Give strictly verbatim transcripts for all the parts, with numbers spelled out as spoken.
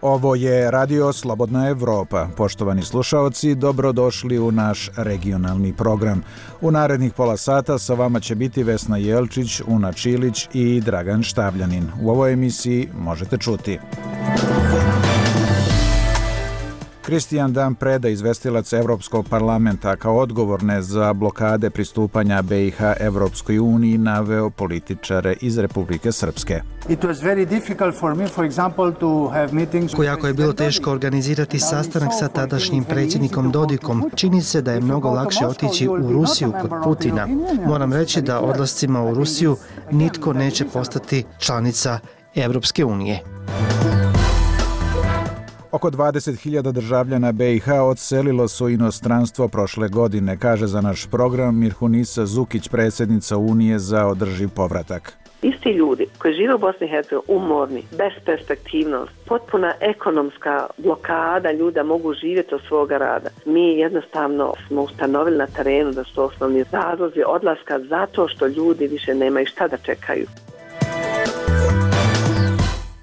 Ovo je Radio Slobodna Evropa. Poštovani slušaoci, dobrodošli u naš regionalni program. U narednih pola sata sa vama će biti Vesna Jelčić, Una Čilić i Dragan Štavljanin. U ovoj emisiji možete čuti: Kristijan Dan Preda, izvestilac Evropskog parlamenta, kao odgovorne za blokade pristupanja B i H Evropskoj uniji naveo političare iz Republike Srpske. Jako je bilo teško organizirati sastanak sa tadašnjim predsjednikom Dodikom. Čini se da je mnogo lakše otići u Rusiju kod Putina. Moram reći da odlascima u Rusiju nitko neće postati članica Evropske unije. Oko dvadeset hiljada državljana B i H odselilo su inostranstvo prošle godine, kaže za naš program Mirhunisa Zukić, predsjednica Unije za održiv povratak. Isti ljudi koji žive u Bosni i Hercegovini, umorni, besperspektivnost, potpuna ekonomska blokada, ljuda mogu živjeti od svoga rada. Mi jednostavno smo ustanovili na terenu da su osnovni razlozi odlaska zato što ljudi više nemaju šta da čekaju.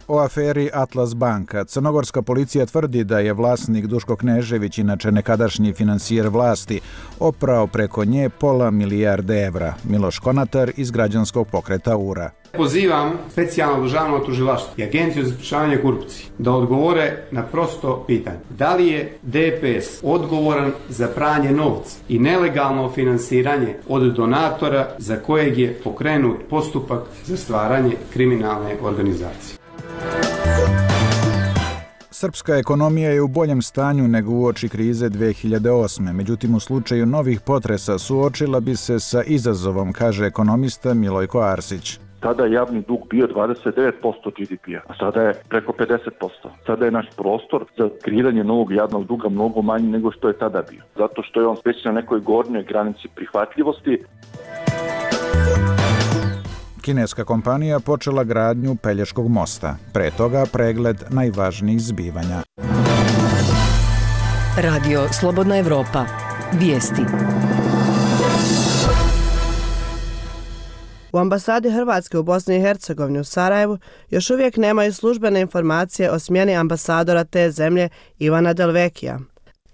O aferi Atlas banka. Crnogorska policija tvrdi da je vlasnik Duško Knežević, inače nekadašnji finansijer vlasti, oprao preko nje pola milijarde evra. Miloš Konatar iz građanskog pokreta U R A. Pozivam specijalno državno tužilaštvo i Agenciju za sprečavanje korupcije da odgovore na prosto pitanje. Da li je D P S odgovoran za pranje novca i nelegalno finansiranje od donatora za kojeg je pokrenut postupak za stvaranje kriminalne organizacije? Srpska ekonomija je u boljem stanju nego uoči krize dve hiljade osme. Međutim, u slučaju novih potresa suočila bi se sa izazovom, kaže ekonomista Milojko Arsić. Tada je javni dug bio dvadeset devet posto G D P-a, a sada je preko pedeset posto. Sada je naš prostor za kreiranje novog javnog duga mnogo manji nego što je tada bio. Zato što je on već na nekoj gornjoj granici prihvatljivosti. Kineska kompanija počela gradnju Pelješkog mosta. Pre toga pregled najvažnijih zbivanja. Radio Slobodna Evropa. Vijesti. U ambasadi Hrvatske u Bosni i Hercegovini u Sarajevu još uvijek nemaju službene informacije o smjeni ambasadora te zemlje Ivana Delvekija.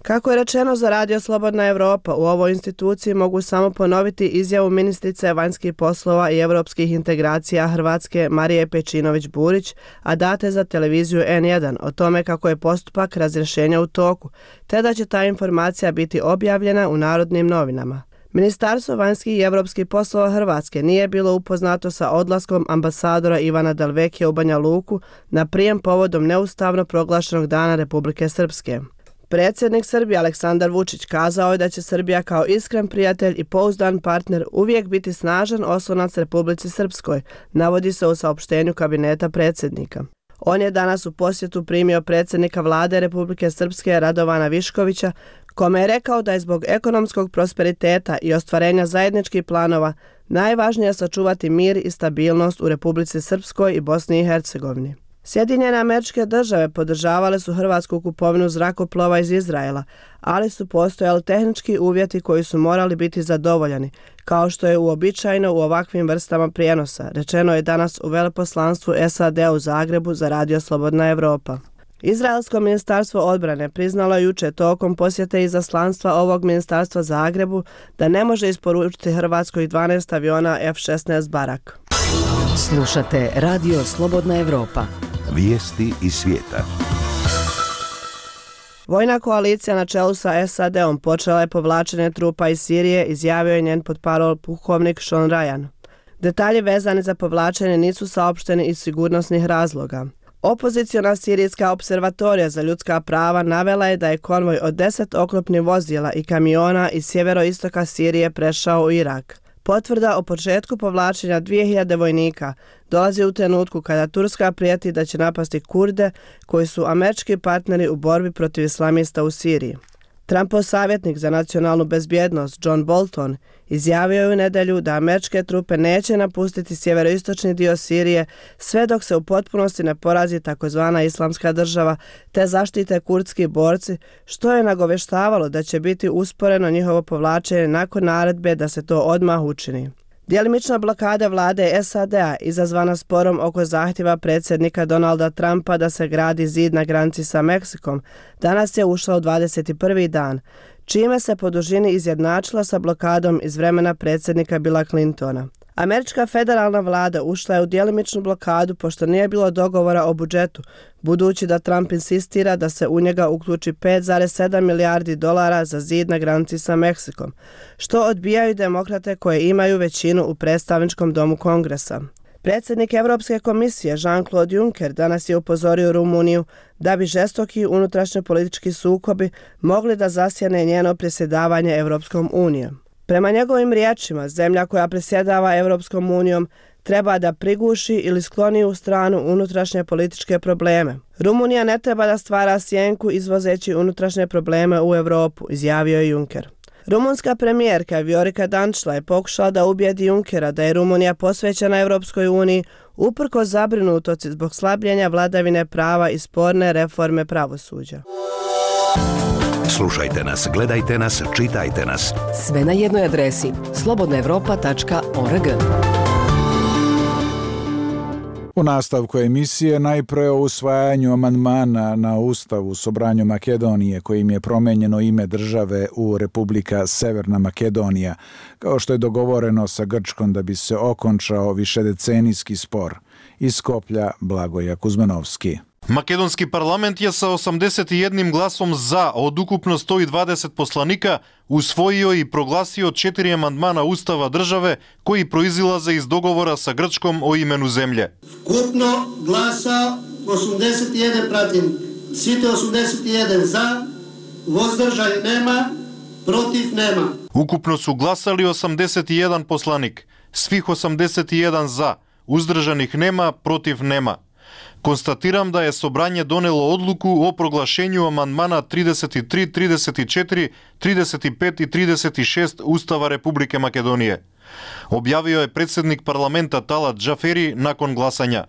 Kako je rečeno za Radio Slobodna Evropa, u ovoj instituciji mogu samo ponoviti izjavu ministrice vanjskih poslova i europskih integracija Hrvatske Marije Pejčinović-Burić, a date za televiziju N jedan, o tome kako je postupak razrješenja u toku, te da će ta informacija biti objavljena u Narodnim novinama. Ministarstvo vanjskih i europskih poslova Hrvatske nije bilo upoznato sa odlaskom ambasadora Ivana Delvekija u Banja Luku na prijem povodom neustavno proglašenog Dana Republike Srpske. Predsjednik Srbije Aleksandar Vučić kazao je da će Srbija kao iskren prijatelj i pouzdan partner uvijek biti snažan oslonac Republici Srpskoj, navodi se u saopštenju kabineta predsjednika. On je danas u posjetu primio predsjednika vlade Republike Srpske Radovana Viškovića, kome je rekao da je zbog ekonomskog prosperiteta i ostvarenja zajedničkih planova najvažnije sačuvati mir i stabilnost u Republici Srpskoj i Bosni i Hercegovini. Sjedinjene Američke Države podržavale su hrvatsku kupovinu zrakoplova iz Izraela, ali su postojali tehnički uvjeti koji su morali biti zadovoljeni, kao što je uobičajeno u ovakvim vrstama prijenosa, rečeno je danas u veleposlanstvu S A D u Zagrebu za Radio Slobodna Evropa. Izraelsko ministarstvo odbrane priznalo juče tokom posjete izaslanstva ovog ministarstva Zagrebu da ne može isporučiti Hrvatskoj dvanaest aviona F šesnaest Barak. Slušate Radio Slobodna Evropa. Vijesti iz svijeta. Vojna koalicija na čelu sa S A D-om počela je povlačenje trupa iz Sirije, izjavio je njen potparol pukovnik Sean Ryan. Detalji vezani za povlačenje nisu saopšteni iz sigurnosnih razloga. Opoziciona sirijska observatorija za ljudska prava navela je da je konvoj od deset oklopnih vozila i kamiona iz sjeveroistoka Sirije prešao u Irak. Potvrda o početku povlačenja dvije hiljade vojnika dolazi u trenutku kada Turska prijeti da će napasti Kurde, koji su američki partneri u borbi protiv islamista u Siriji. Trumpov savjetnik za nacionalnu bezbjednost John Bolton izjavio je u nedjelju da američke trupe neće napustiti sjeveroistočni dio Sirije sve dok se u potpunosti ne porazi takozvana islamska država te zaštite kurdski borci, što je nagoveštavalo da će biti usporeno njihovo povlačenje nakon naredbe da se to odmah učini. Djelimična blokada vlade S A D-a izazvana sporom oko zahtjeva predsjednika Donalda Trumpa da se gradi zid na granici sa Meksikom danas je ušla u dvadeset prvi dan, čime se po dužini izjednačila sa blokadom iz vremena predsjednika Billa Clintona. Američka federalna vlada ušla je u djelimičnu blokadu pošto nije bilo dogovora o budžetu, budući da Trump insistira da se u njega uključi pet zarez sedam milijardi dolara za zid na granici sa Meksikom, što odbijaju demokrate koje imaju većinu u predstavničkom domu Kongresa. Predsjednik Europske komisije Jean-Claude Juncker danas je upozorio Rumuniju da bi žestoki unutrašnji politički sukobi mogli da zasjene njeno predsjedavanje Europskom unijom. Prema njegovim riječima, zemlja koja predsjedava Europskom unijom treba da priguši ili skloni u stranu unutrašnje političke probleme. Rumunija ne treba da stvara sjenku izvozeći unutrašnje probleme u Europu, izjavio je Juncker. Rumunska premijerka Viorica Dăncilă je pokušala da ubijedi Junckera da je Rumunija posvećena Europskoj uniji uprkos zabrinutosti zbog slabljenja vladavine prava i sporne reforme pravosuđa. Slušajte nas, gledajte nas, čitajte nas. Sve na jednoj adresi slobodna evropa tačka org. U nastavku emisije najpre o usvajanju amandmana na Ustav u Sobranju Makedonije kojim je promenjeno ime države u Republika Severna Makedonija, kao što je dogovoreno sa Grčkom da bi se okončao višedecenijski spor. Iz Skoplja Blagoja Kuzmanovski. Македонски парламент ја sa osamdeset еден гласом за од укупно сто и дваесет посланика усвоио и прогласио четири амандмана Устава државе кои произилазе из договора sa Грчком о имену земље. Вкупно гласа осумдесет и еден пратим, сите осумдесет и еден за, воздржај нема, против нема. Укупно су гласали осамдесет и еден посланик, свих осамдесет и еден за, уздржаних нема, против нема. Констатирам да е собрање донело одлуку о проглашењу амандмана тридесет и три, тридесет и четири, тридесет и пет и тридесет и шест Устава Република Македонија. Објавио е председник парламента Талат Джафери након гласања.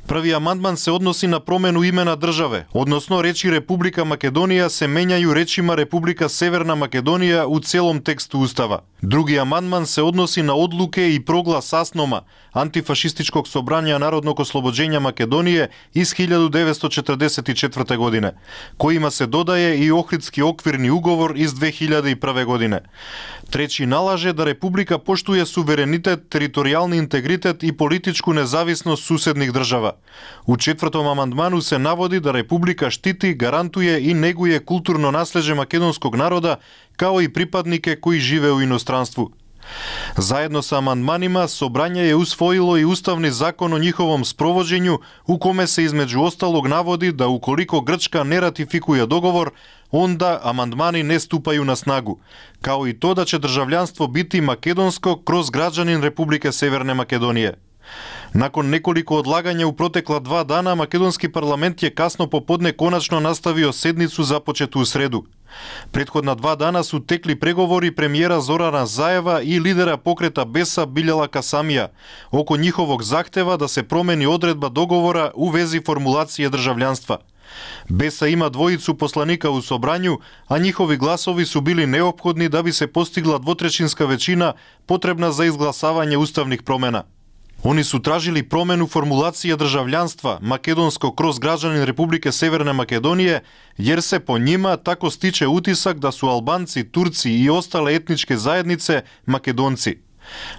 Први амандман се односи на промену име на државе, односно речи Република Македонија се менјају речима Република Северна Македонија у целом тексту Устава. Други амандман се односи на одлуке и проглас АСНОМа, антифашистичког собрања Народnog ослобоđenja Македонije из hiljadu devetsto četrdeset četvrte godine, којима се додае и Охридски оквирни уговор из две hiljade прve godine. Тречи налаже да Република поштуе суверенитет, територијални интегритет и политичку независност суседних држава. У четвртом амандману се наводи да Република штити, гарантуе и негуе културно наслеđe македонског народа, као и припаднике кои живее у иностранству. Заедно со амандманима, собрање е усвоило и уставни закон о нjihovom спровоđenju, у коме се измеđu осталог наводи да уколико Грчка не ратификуе договор, онда амандмани не ступају на снагу, као и то да ќе држављанство бити македонско кроз граđanin Република Северне Македонije. Након неколико одлагања у протекла два дана, македонски парламент ја касно поподне конечно наставио седницу започету у среду. Претходна два дана су текли преговори премиера Зорана Заева и лидера покрета Беса Билјала Касамија око нjihovog захтева да се промени одредба договора у вези формулација држављанства. Беса има двојицу посланика у собрању, а нjihovi гласови су били неопходни да би се постигла двотречинска веćina потребна за изгласавање уставних промена. Они су тражили промену формулација држављанства македонско кроз граđanin Република Северна Македонија, јер се по њима тако стиче утисак да су албанци, турци и остале етничке заеднице македонци.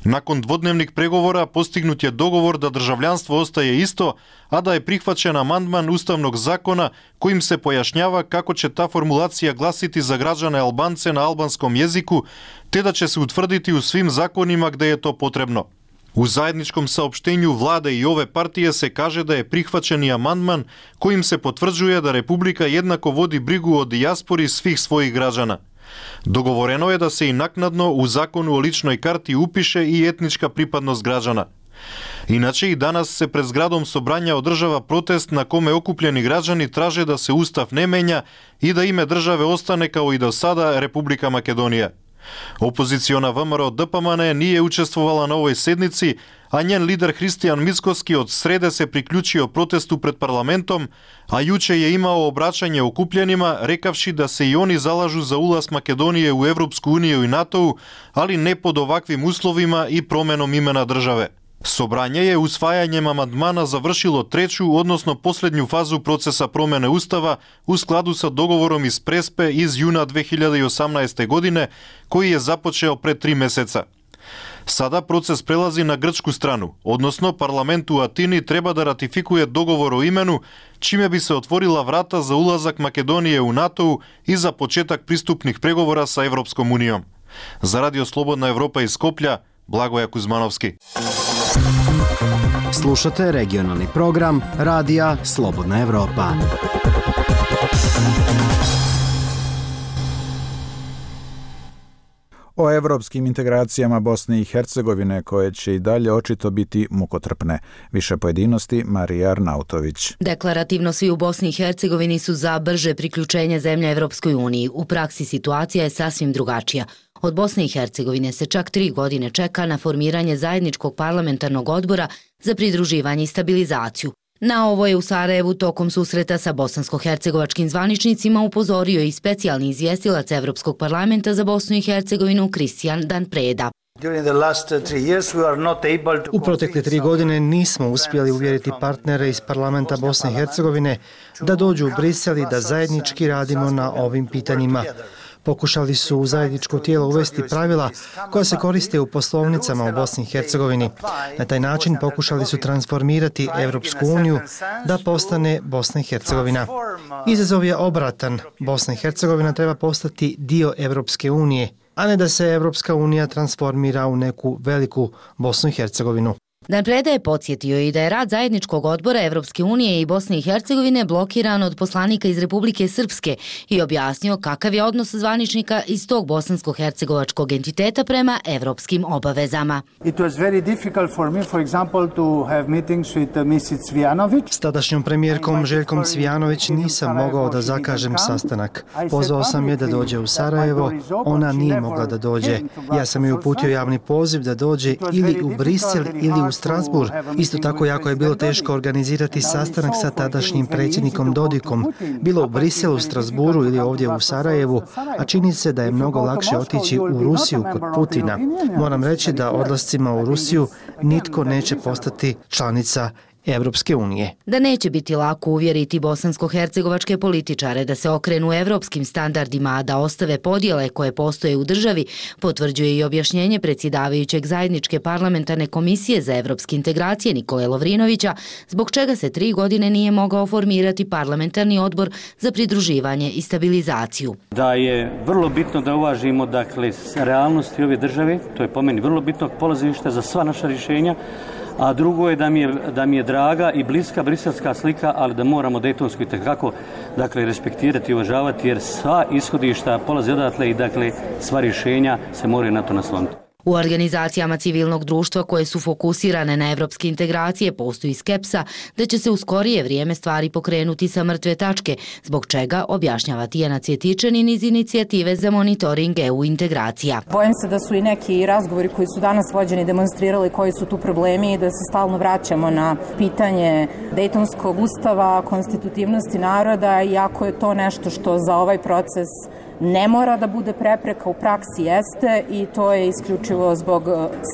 Након дводневник преговора постигнут е договор да држављанство остае исто, а да е прихвачен амандман Уставног закона коим се појашњава како ќе та формулација гласити за граđane албанце на албанском језику, те да ќе се утврдити у свим законима каде е то потребно. У заедничком саопштењу влада и ове партија се каже да е прихвачен и амандман коим се потврđuje да Република еднако води бригу о дијаспори свих својих граđana. Договорено е да се и накнадно у закону о личној карти упише и етничка припадност граđana. Иначе и данас се пред зградом собрања одржава протест на коме окупljeni граđani траже да се устав не менја и да име државе остане као и до сада Република Македонија. Опозициона ВМРО ДПМН nije učestvovala na ovoj sednici, a njen lider Hristijan Mickoski od srede se priključio protestu pred parlamentom, a juče je imao obraćanje okupljenima, rekavši da se i oni zalažu za ulaz Makedonije u Evropsku uniju i NATO, ali ne pod ovakvim uslovima i promenom imena države. Sobranje je usvajanjem amandmana završilo treću, odnosno posljednju fazu procesa promjene Ustava u skladu sa dogovorom iz Prespe iz juna dve hiljade osamnaeste. godine, koji je započeo pred tri meseca. Sada proces prelazi na grčku stranu, odnosno parlament u Atini treba da ratifikuje dogovor o imenu, čime bi se otvorila vrata za ulazak Makedonije u NATO i za početak pristupnih pregovora sa Evropskom unijom. Za Radio Slobodna Evropa iz Skoplja, Blagoja Kuzmanovski. Slušate regionalni program Radija Slobodna Evropa. O evropskim integracijama Bosne i Hercegovine, koje će i dalje očito biti mukotrpne. Više pojedinosti, Marija Arnautović. Deklarativno svi u Bosni i Hercegovini su za brže priključenje zemlje Evropskoj uniji. U praksi situacija je sasvim drugačija. Od Bosne i Hercegovine se čak tri godine čeka na formiranje zajedničkog parlamentarnog odbora za pridruživanje i stabilizaciju. Na ovo je u Sarajevu tokom susreta sa bosansko-hercegovačkim zvaničnicima upozorio i specijalni izvjestilac Evropskog parlamenta za Bosnu i Hercegovinu Kristijan Dan Preda. U protekle tri godine nismo uspjeli uvjeriti partnere iz parlamenta Bosne i Hercegovine da dođu u Brisel i da zajednički radimo na ovim pitanjima. Pokušali su u zajedničko tijelo uvesti pravila koja se koriste u poslovnicama u Bosni i Hercegovini. Na taj način pokušali su transformirati Evropsku uniju da postane Bosna i Hercegovina. Izazov je obratan. Bosna i Hercegovina treba postati dio Evropske unije, a ne da se Evropska unija transformira u neku veliku Bosnu i Hercegovinu. Dan Preda je podsjetio i da je rad zajedničkog odbora Evropske unije i Bosne i Hercegovine blokiran od poslanika iz Republike Srpske i objasnio kakav je odnos zvaničnika iz tog bosansko-hercegovačkog entiteta prema evropskim obavezama. S tadašnjom premijerkom Željkom Cvijanović nisam mogao da zakažem sastanak. Pozvao sam je da dođe u Sarajevo, ona nije mogla da dođe. Ja sam joj uputio javni poziv da dođe ili u Brisel ili u Strasbourg. Isto tako jako je bilo teško organizirati sastanak sa tadašnjim predsjednikom Dodikom, bilo u Briselu, Strasbourgu ili ovdje u Sarajevu, a čini se da je mnogo lakše otići u Rusiju kod Putina. Moram reći da odlascima u Rusiju nitko neće postati članica Evropske unije. Da neće biti lako uvjeriti bosansko-hercegovačke političare da se okrenu evropskim standardima, a da ostave podjele koje postoje u državi, potvrđuje i objašnjenje predsjedavajućeg zajedničke parlamentarne komisije za evropske integracije Nikole Lovrinovića, zbog čega se tri godine nije mogao formirati parlamentarni odbor za pridruživanje i stabilizaciju. Da je vrlo bitno da uvažimo dakle realnosti ove države, to je po meni vrlo bitno polazište za sva naša rješenja. A drugo je da mi je, da mi je draga i bliska briselska slika, ali da moramo dejtonsku itekako dakle, respektirati i uvažavati, jer sva ishodišta polaze odatle i dakle, sva rješenja se moraju na to nasloniti. U organizacijama civilnog društva koje su fokusirane na evropske integracije postoji skepsa da će se u skorije vrijeme stvari pokrenuti sa mrtve tačke, zbog čega objašnjava Tijana Cvjetičanin iz inicijative za monitoring E U integracija. Bojim se da su i neki razgovori koji su danas vođeni demonstrirali koji su tu problemi i da se stalno vraćamo na pitanje Dejtonskog ustava, konstitutivnosti naroda, iako je to nešto što za ovaj proces ne mora da bude prepreka, u praksi jeste, i to je isključivo zbog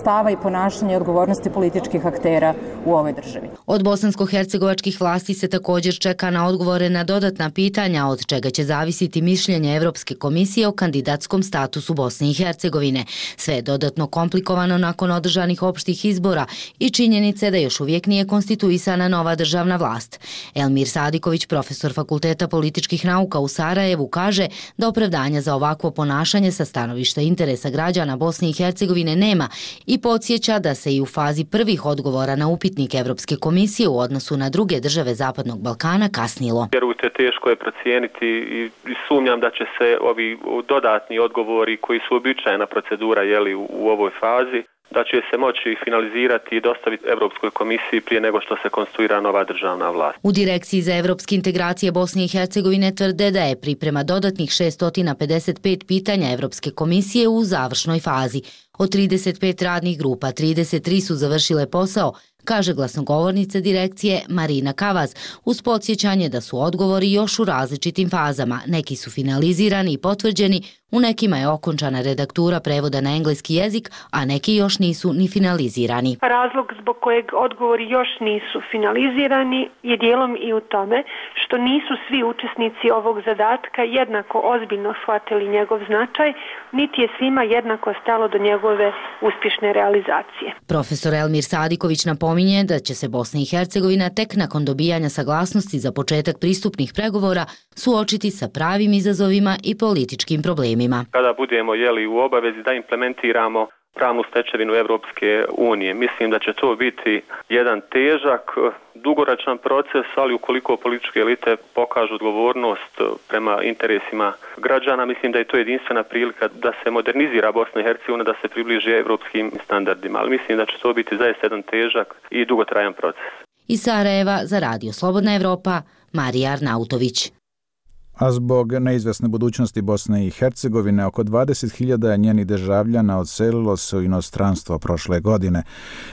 stava i ponašanja i odgovornosti političkih aktera u ovoj državi. Od bosansko-hercegovačkih vlasti se također čeka na odgovore na dodatna pitanja, od čega će zavisiti mišljenje Evropske komisije o kandidatskom statusu Bosne i Hercegovine. Sve je dodatno komplikovano nakon održanih opštih izbora i činjenice da još uvijek nije konstituisana nova državna vlast. Elmir Sadiković, profesor Fakulteta političkih nauka u Sarajevu, kaže da opravdanje za ovakvo ponašanje sa stanovišta interesa građana Bosne i Hercegovine nema i podsjeća da se i u fazi prvih odgovora na upitnik Evropske komisije u odnosu na druge države Zapadnog Balkana kasnilo. Vjerujte, teško je procijeniti i sumnjam da će se ovi dodatni odgovori koji su običajna procedura jeli, u ovoj fazi, da će se moći finalizirati i dostaviti Europskoj komisiji prije nego što se konstituira nova državna vlast. U Direkciji za evropske integracije Bosne i Hercegovine tvrde da je priprema dodatnih šesto pedeset pet pitanja Evropske komisije u završnoj fazi. Od trideset pet radnih grupa, trideset tri su završile posao, kaže glasnogovornica direkcije Marina Kavaz, uz podsjećanje da su odgovori još u različitim fazama. Neki su finalizirani i potvrđeni, u nekima je okončana redaktura prevoda na engleski jezik, a neki još nisu ni finalizirani. Razlog zbog kojeg odgovori još nisu finalizirani je dijelom i u tome što nisu svi učesnici ovog zadatka jednako ozbiljno shvatili njegov značaj, niti je svima jednako stalo do njegove uspješne realizacije. Profesor Elmir Sadiković napominje da će se Bosna i Hercegovina tek nakon dobijanja saglasnosti za početak pristupnih pregovora suočiti sa pravim izazovima i političkim problemima. Kada budemo jeli u obavezi da implementiramo pravnu stečevinu Evropske unije, mislim da će to biti jedan težak, dugoročan proces, ali ukoliko političke elite pokažu odgovornost prema interesima građana, mislim da je to jedinstvena prilika da se modernizira Bosna i Hercegovina, da se približi evropskim standardima, ali mislim da će to biti zaista jedan težak i dugotrajan proces. Iz Sarajeva za Radio Slobodna Evropa, Marija Arnautović. A zbog neizvesne budućnosti Bosne i Hercegovine, oko dvadeset hiljada njenih državljana odselilo se u inostranstvo prošle godine,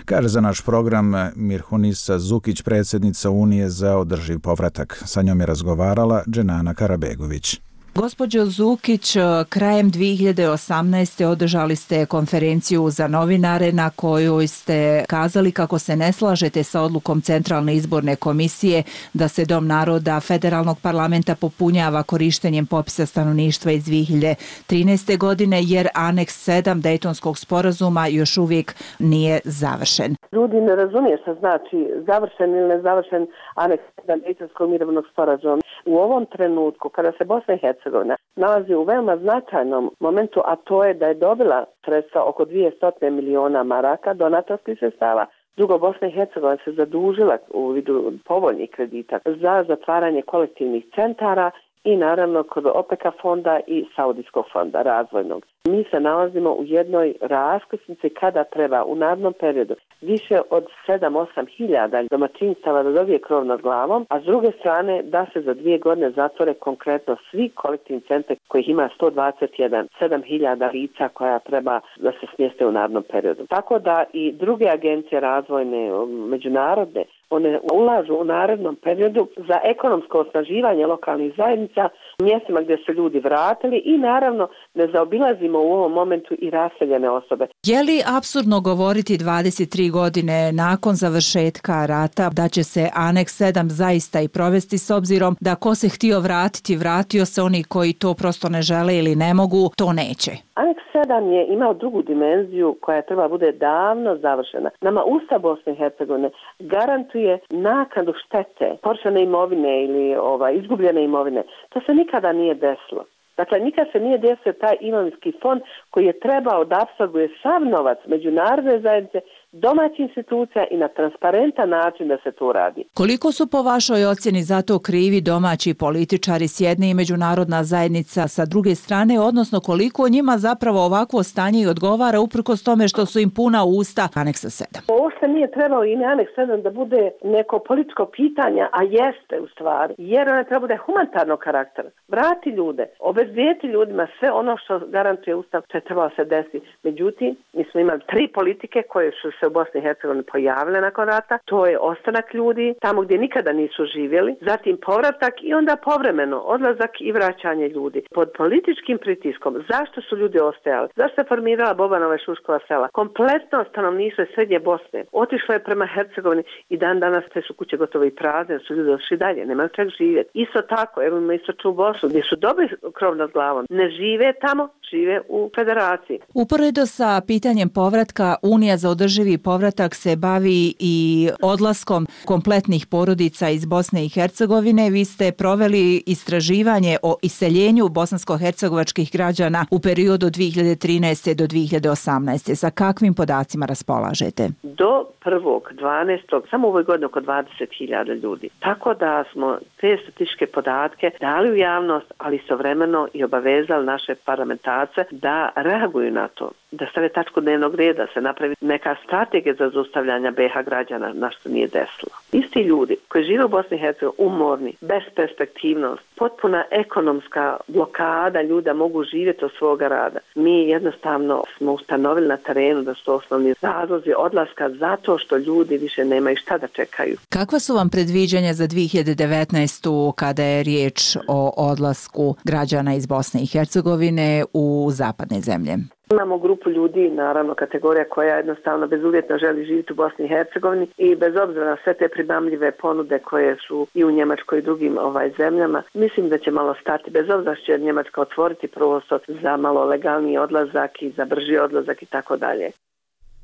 kaže za naš program Mirhunisa Zukić, predsjednica Unije za održiv povratak. Sa njom je razgovarala Dženana Karabegović. Gospođo Zukić, krajem dvije hiljade osamnaeste. održali ste konferenciju za novinare na kojoj ste kazali kako se ne slažete sa odlukom Centralne izborne komisije da se Dom naroda Federalnog parlamenta popunjava korištenjem popisa stanovništva iz dvije hiljade trinaeste. godine jer aneks sedam Dejtonskog sporazuma još uvijek nije završen. Ljudi ne razumije što znači završen ili nezavršen aneks sedam Dejtonskog mirovnog sporazuma. U ovom trenutku kada se Bosna i Hercegovina nalazi u veoma značajnom momentu, a to je da je dobila sredstva oko dvjesto miliona maraka donatorskih sredstava. Drugo, Bosna i Hercegovina se zadužila u vidu povoljnih kredita za zatvaranje kolektivnih centara i naravno kod OPEC-a fonda i Saudijskog fonda razvojnog. Mi se nalazimo u jednoj raskrsnici kada treba u narednom periodu više od sedam osam hiljada domaćinstava da dobije krov nad glavom, a s druge strane da se za dvije godine zatvore konkretno svi kolektivni centri kojih ima sto dvadeset jedan, sedam hiljada lica koja treba da se smjeste u narednom periodu. Tako da i druge agencije razvojne, međunarodne, one ulažu u narednom periodu za ekonomsko osnaživanje lokalnih zajednica u mjestima gdje se ljudi vratili i naravno ne zaobilazimo u ovom momentu i raseljene osobe. Je li apsurdno govoriti dvadeset tri godine nakon završetka rata da će se aneks sedam zaista i provesti, s obzirom da ko se htio vratiti, vratio se, oni koji to prosto ne žele ili ne mogu, to neće? Aneks sedam je imao drugu dimenziju koja treba bude davno završena. Nama Ustav Bosne i Hercegovine garantuje naknadu štete, porčane imovine ili ovaj, izgubljene imovine. To se nikada nije desilo. Dakle, nikad se nije desio taj imovinski fond koji je trebao da apsorbuje sav novac međunarodne zajednice, domaćih institucija i na transparentan način da se to radi. Koliko su po vašoj ocjeni za to krivi domaći političari s jedne i međunarodna zajednica sa druge strane, odnosno koliko njima zapravo ovakvo stanje i odgovara uprkos tome što su im puna usta aneksa sedam? Ovo se nije trebalo i aneks sedam da bude neko političko pitanje, a jeste u stvari, jer ona treba bude humanitarnog karaktera. Vrati ljude, obezbijeti ljudima sve ono što garantuje Ustav, što je trebalo se desiti. Međutim, mi smo imali tri politike koje su se u Bosni i Hercegovini pojavile nakon rata. To je ostanak ljudi tamo gdje nikada nisu živjeli, zatim povratak i onda povremeno odlazak i vraćanje ljudi. Pod političkim pritiskom, zašto su ljudi ostajali? Zašto se formirala Bobanova i Šuškova sela? Kompletno stanovništvo Srednje Bosne otišlo je prema Hercegovini i dan danas te su kuće gotovo i prazne, su ljudi otišli dalje, nemaju čeg živjeti. Isto tako, evo ima istočnu Bosnu, gdje su dobri krov nad glavom. Ne žive tamo, žive u federaciji. Uporedo sa pitanjem povratka, Unija za održivi održivi povratak se bavi i odlaskom kompletnih porodica iz Bosne i Hercegovine. Vi ste proveli istraživanje o iseljenju bosansko-hercegovačkih građana u periodu dvije hiljade trinaeste do dvije hiljade osamnaeste. Sa kakvim podacima raspolažete? Do prvog dvanaestog samo u ovoj godini oko dvadeset hiljada ljudi. Tako da smo te statističke podatke dali u javnost, ali istovremeno i obavezali naše parlamentarce da reaguju na to, da stave tačku dnevnog reda, se napravi neka strategija za zaustavljanje be ha građana, na što nije desilo. Isti ljudi koji žive u Bosni i Hercegovini, umorni, besperspektivnost, potpuna ekonomska blokada, ljuda mogu živjeti od svoga rada. Mi jednostavno smo ustanovili na terenu da su osnovni razlozi odlaska zato što ljudi više nemaju šta da čekaju. Kakva su vam predviđanja za dvije hiljade devetnaestu kada je riječ o odlasku građana iz Bosne i Hercegovine u zapadne zemlje? Imamo grupu ljudi, naravno kategorija koja jednostavno bezuvjetno želi živjeti u Bosni i Hercegovini i bez obzira na sve te primamljive ponude koje su i u Njemačkoj i drugim ovaj zemljama, mislim da će malo stati, bez obzira što će Njemačka otvoriti prostor za malo legalniji odlazak i za brži odlazak i tako dalje.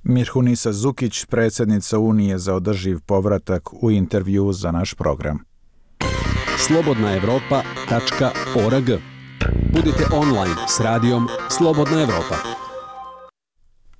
Mirhunisa Zukić, predsjednica Unije za održiv povratak, u intervju za naš program. slobodna evropa tačka org. Budite online s radijom Slobodna Evropa.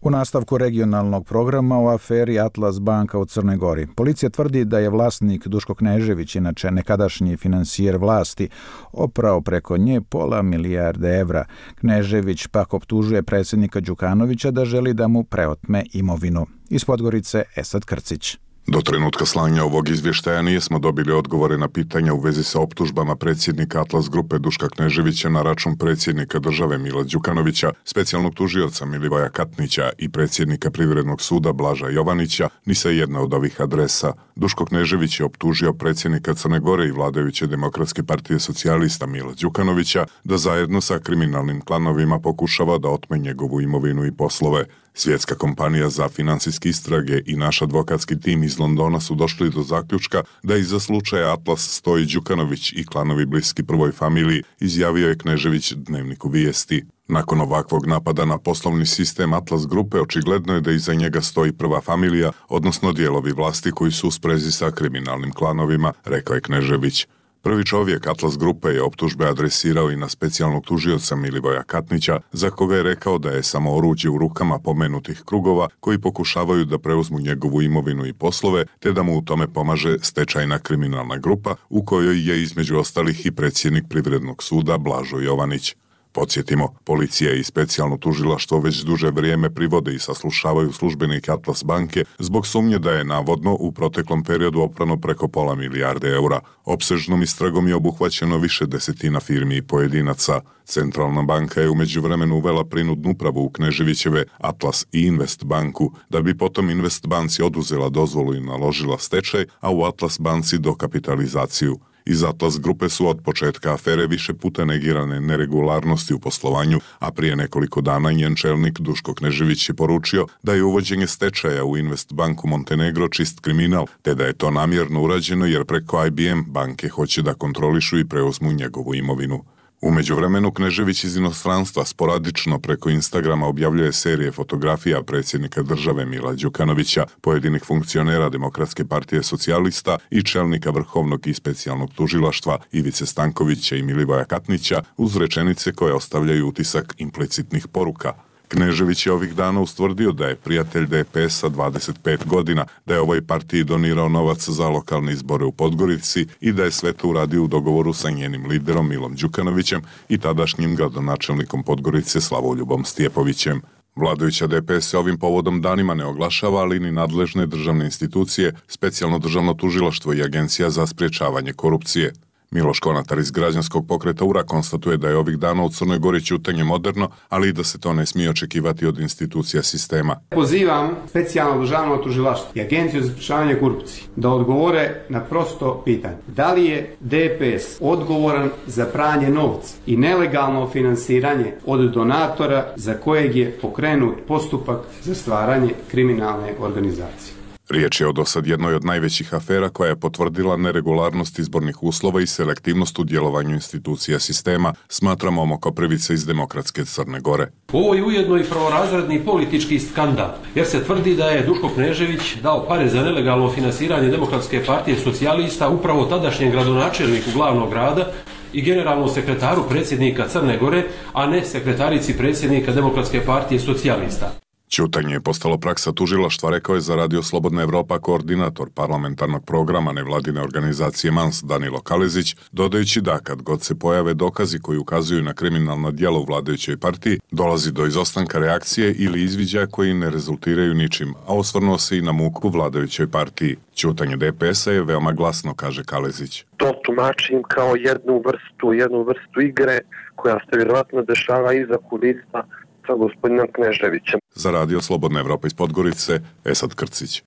U nastavku regionalnog programa o aferi Atlas banka u Crnoj Gori. Policija tvrdi da je vlasnik Duško Knežević, inače nekadašnji finansijer vlasti, oprao preko nje pola milijarde evra. Knežević pak optužuje predsjednika Đukanovića da želi da mu preotme imovinu. Iz Podgorice Esad Krcić. Do trenutka slanja ovog izvještaja nijesmo dobili odgovore na pitanja u vezi sa optužbama predsjednika Atlas grupe Duška Kneževića na račun predsjednika države Mila Đukanovića, specijalnog tužioca Milivoja Katnića i predsjednika Privrednog suda Blaža Jovanića, ni sa jedna od ovih adresa. Duško Knežević je optužio predsjednika Crne Gore i vladajuće Demokratske partije socijalista Mila Đukanovića da zajedno sa kriminalnim klanovima pokušava da otme njegovu imovinu i poslove. Svjetska kompanija za financijske istrage i naš advokatski tim iz Londona su došli do zaključka da iza slučaja Atlas stoji Đukanović i klanovi bliski prvoj familiji, izjavio je Knežević Dnevniku Vijesti. Nakon ovakvog napada na poslovni sistem Atlas grupe, očigledno je da iza njega stoji prva familija, odnosno dijelovi vlasti koji su u sprezi sa kriminalnim klanovima, rekao je Knežević. Prvi čovjek Atlas grupe je optužbe adresirao i na specijalnog tužioca Milivoja Katnića, za koga je rekao da je samo oruđe u rukama pomenutih krugova koji pokušavaju da preuzmu njegovu imovinu i poslove, te da mu u tome pomaže stečajna kriminalna grupa u kojoj je između ostalih i predsjednik Privrednog suda Blažo Jovanić. Podsjetimo, policija i specijalno tužilaštvo već duže vrijeme privode i saslušavaju službenike Atlas banke zbog sumnje da je navodno u proteklom periodu oprano preko pola milijarde eura. Opsežnom istragom je obuhvaćeno više desetina firmi i pojedinaca. Centralna banka je u međuvremenu uvela prinudnu upravu u Kneževićeve Atlas i Invest banku, da bi potom Invest banci oduzela dozvolu i naložila stečaj, a u Atlas banci dokapitalizaciju. Iz Atlas grupe su od početka afere više puta negirane neregularnosti u poslovanju, a prije nekoliko dana njen čelnik Duško Knežević je poručio da je uvođenje stečaja u Invest banku Montenegro čist kriminal, te da je to namjerno urađeno jer preko I B M banke hoće da kontrolišu i preuzmu njegovu imovinu. U međuvremenu Knežević iz inostranstva sporadično preko Instagrama objavljuje serije fotografija predsjednika države Mila Đukanovića, pojedinih funkcionera Demokratske partije socijalista i čelnika Vrhovnog i specijalnog tužilaštva Ivice Stankovića i Milivoja Katnića uz rečenice koje ostavljaju utisak implicitnih poruka. Knežević je ovih dana ustvrdio da je prijatelj D P S-a dvadeset pet godina, da je ovoj partiji donirao novac za lokalne izbore u Podgorici i da je sve to uradio u dogovoru sa njenim liderom Milom Đukanovićem i tadašnjim gradonačelnikom Podgorice Slavoljubom Stjepovićem. Vladajuća D P S se ovim povodom danima ne oglašava, ali ni nadležne državne institucije, specijalno državno tužilaštvo i Agencija za sprječavanje korupcije. Miloš Konatar iz građanskog pokreta U R A konstatuje da je ovih dana u Crnoj Gori ćutanje moderno, ali i da se to ne smije očekivati od institucija sistema. Pozivam specijalno državno tužilaštvo i Agenciju za sprječavanje korupcije da odgovore na prosto pitanje. Da li je D P S odgovoran za pranje novca i nelegalno finansiranje od donatora za kojeg je pokrenut postupak za stvaranje kriminalne organizacije? Riječ je o dosad jednoj od najvećih afera koja je potvrdila neregularnost izbornih uslova i selektivnost u djelovanju institucija sistema, smatra Momo Koprivica iz Demokratske Crne Gore. Ovo je ujedno i prvorazredni politički skandal, jer se tvrdi da je Duško Knežević dao pare za nelegalno finansiranje Demokratske partije socijalista upravo tadašnjem gradonačelniku glavnog grada i generalnom sekretaru predsjednika Crne Gore, a ne sekretarici predsjednika Demokratske partije socijalista. Ćutanje je postalo praksa tužilaštva, rekao je za Radio Slobodna Evropa koordinator parlamentarnog programa nevladine organizacije Mans Danilo Kalezić, dodajući da kad god se pojave dokazi koji ukazuju na kriminalno djelo u vladajućoj partiji, dolazi do izostanka reakcije ili izviđaja koji ne rezultiraju ničim, a osvrnuo se i na muku vladajućoj partiji. Ćutanje D P S-a je veoma glasno, kaže Kalezić. To tumačim kao jednu vrstu, jednu vrstu igre koja se vjerovatno dešava iza kulisa sa gospodinom Kneževićem. Za Radio Slobodna Evropa iz Podgorice, Esad Krcić.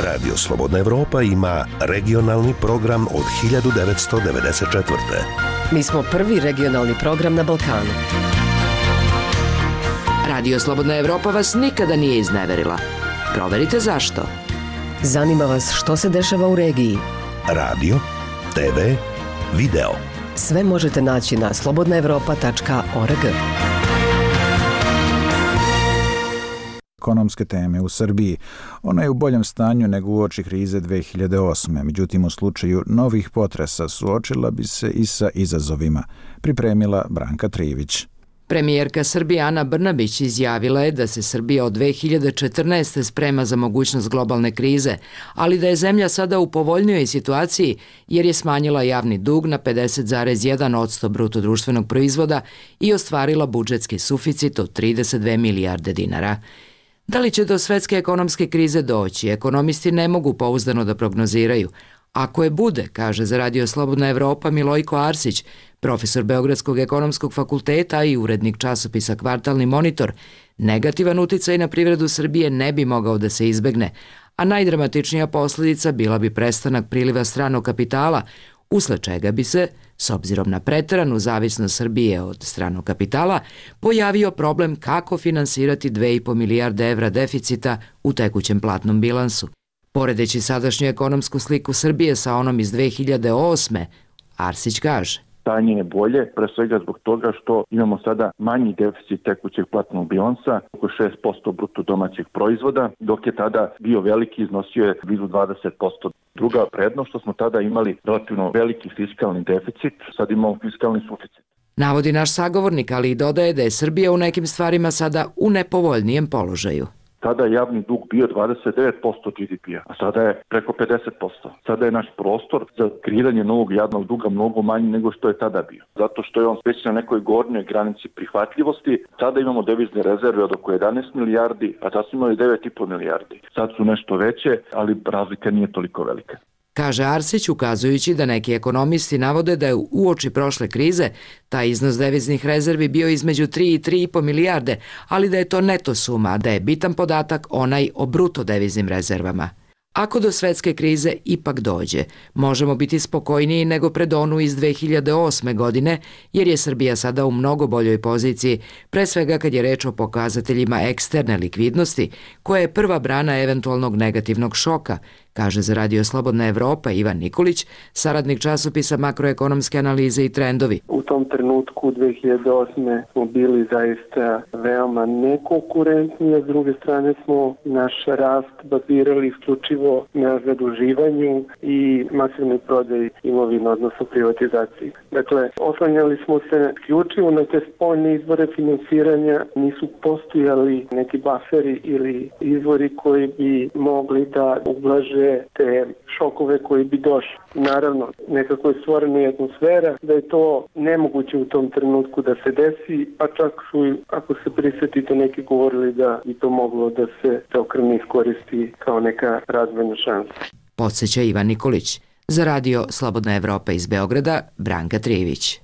Radio Slobodna Evropa ima regionalni program od hiljadu devetsto devedeset četvrte. Mi smo prvi regionalni program na Balkanu. Radio Slobodna Evropa vas nikada nije izneverila. Proverite zašto. Zanima vas što se dešava u regiji. Radio, te ve, video. Sve možete naći na slobodna evropa tačka org. Ekonomske teme u Srbiji. Ona je u boljem stanju nego uoči krize dve hiljade osme. Međutim, u slučaju novih potresa suočila bi se i sa izazovima. Pripremila Branka Trivić. Premijerka Srbije Ana Brnabić izjavila je da se Srbija od dve hiljade četrnaeste. sprema za mogućnost globalne krize, ali da je zemlja sada u povoljnijoj situaciji jer je smanjila javni dug na pedeset zarez jedan posto bruto društvenog proizvoda i ostvarila budžetski suficit od trideset dve milijarde dinara. Da li će do svetske ekonomske krize doći, ekonomisti ne mogu pouzdano da prognoziraju. Ako je bude, kaže za Radio Slobodna Evropa Milojko Arsić, profesor Beogradskog ekonomskog fakulteta i urednik časopisa Kvartalni monitor, negativan uticaj na privredu Srbije ne bi mogao da se izbegne, a najdramatičnija posljedica bila bi prestanak priliva stranog kapitala, usled čega bi se, s obzirom na preteranu zavisnost Srbije od stranog kapitala, pojavio problem kako finansirati dve i po milijarde evra deficita u tekućem platnom bilansu. Poredeći sadašnju ekonomsku sliku Srbije sa onom iz dve hiljade osme. Arsić kaže. Stanje je bolje, pre svega zbog toga što imamo sada manji deficit tekućeg platnog bilansa, oko šest posto bruto domaćeg proizvoda, dok je tada bio veliki, iznosio je blizu dvadeset posto. Druga prednost što smo tada imali relativno veliki fiskalni deficit, sad imamo fiskalni suficit. Navodi naš sagovornik, ali i dodaje da je Srbija u nekim stvarima sada u nepovoljnijem položaju. Tada je javni dug bio dvadeset devet posto G D P-a, a sada je preko pedeset posto. Sada je naš prostor za kreiranje novog javnog duga mnogo manji nego što je tada bio. Zato što je on već na nekoj gornjoj granici prihvatljivosti. Sada imamo devizne rezerve od oko jedanaest milijardi, a tad smo imali devet i po milijardi. Sad su nešto veće, ali razlika nije toliko velika. Kaže Arsić, ukazujući da neki ekonomisti navode da je uoči prošle krize taj iznos deviznih rezervi bio između tri i tri i po milijarde, ali da je to neto suma, da je bitan podatak onaj o bruto deviznim rezervama. Ako do svetske krize ipak dođe, možemo biti spokojniji nego pred onu iz dve hiljade osme. godine, jer je Srbija sada u mnogo boljoj poziciji, pre svega kad je reč o pokazateljima eksterne likvidnosti, koja je prva brana eventualnog negativnog šoka, kaže za Radio Slobodna Evropa Ivan Nikolić, saradnik časopisa Makroekonomske analize i trendovi. U tom trenutku dve hiljade osme. smo bili zaista veoma nekonkurentni, a s druge strane smo naš rast bazirali isključivo na zaduživanju i masivnoj prodaji imovine, odnosno privatizaciji. Dakle, oslanjali smo se isključivo na te spoljne izvore finansiranja, nisu postojali neki baferi ili izvori koji bi mogli da ublaže te šokove koji bi došli. Naravno, nekako je stvorena atmosfera da je to nemoguće u tom trenutku da se desi, pa čak su, ako se prisjetite, neki govorili da bi to moglo da se okrene iskoristi kao neka razvojna šansa. Podsjeća Ivan Nikolić. Za Radio Slobodna Evropa iz Beograda, Branka Trivić.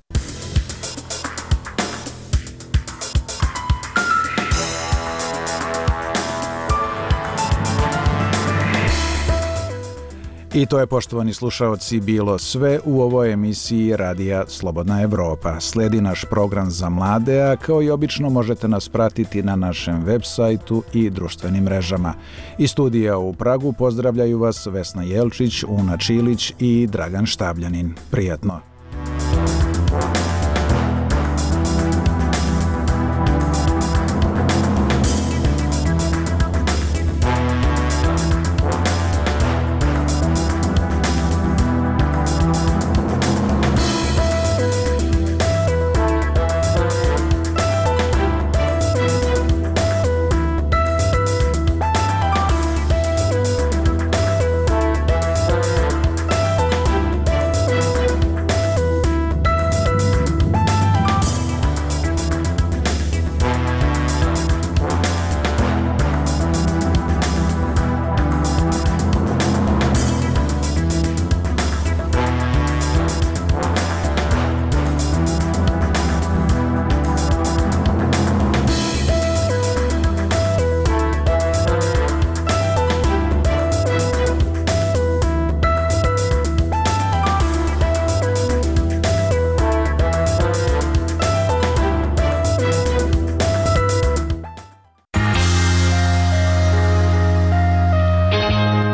I to je, poštovani slušaoci, bilo sve u ovoj emisiji Radija Slobodna Evropa. Slijedi naš program za mlade, a kao i obično možete nas pratiti na našem web sajtu i društvenim mrežama. Iz studija u Pragu pozdravljaju vas Vesna Jelčić, Una Čilić i Dragan Štabljanin. Prijatno!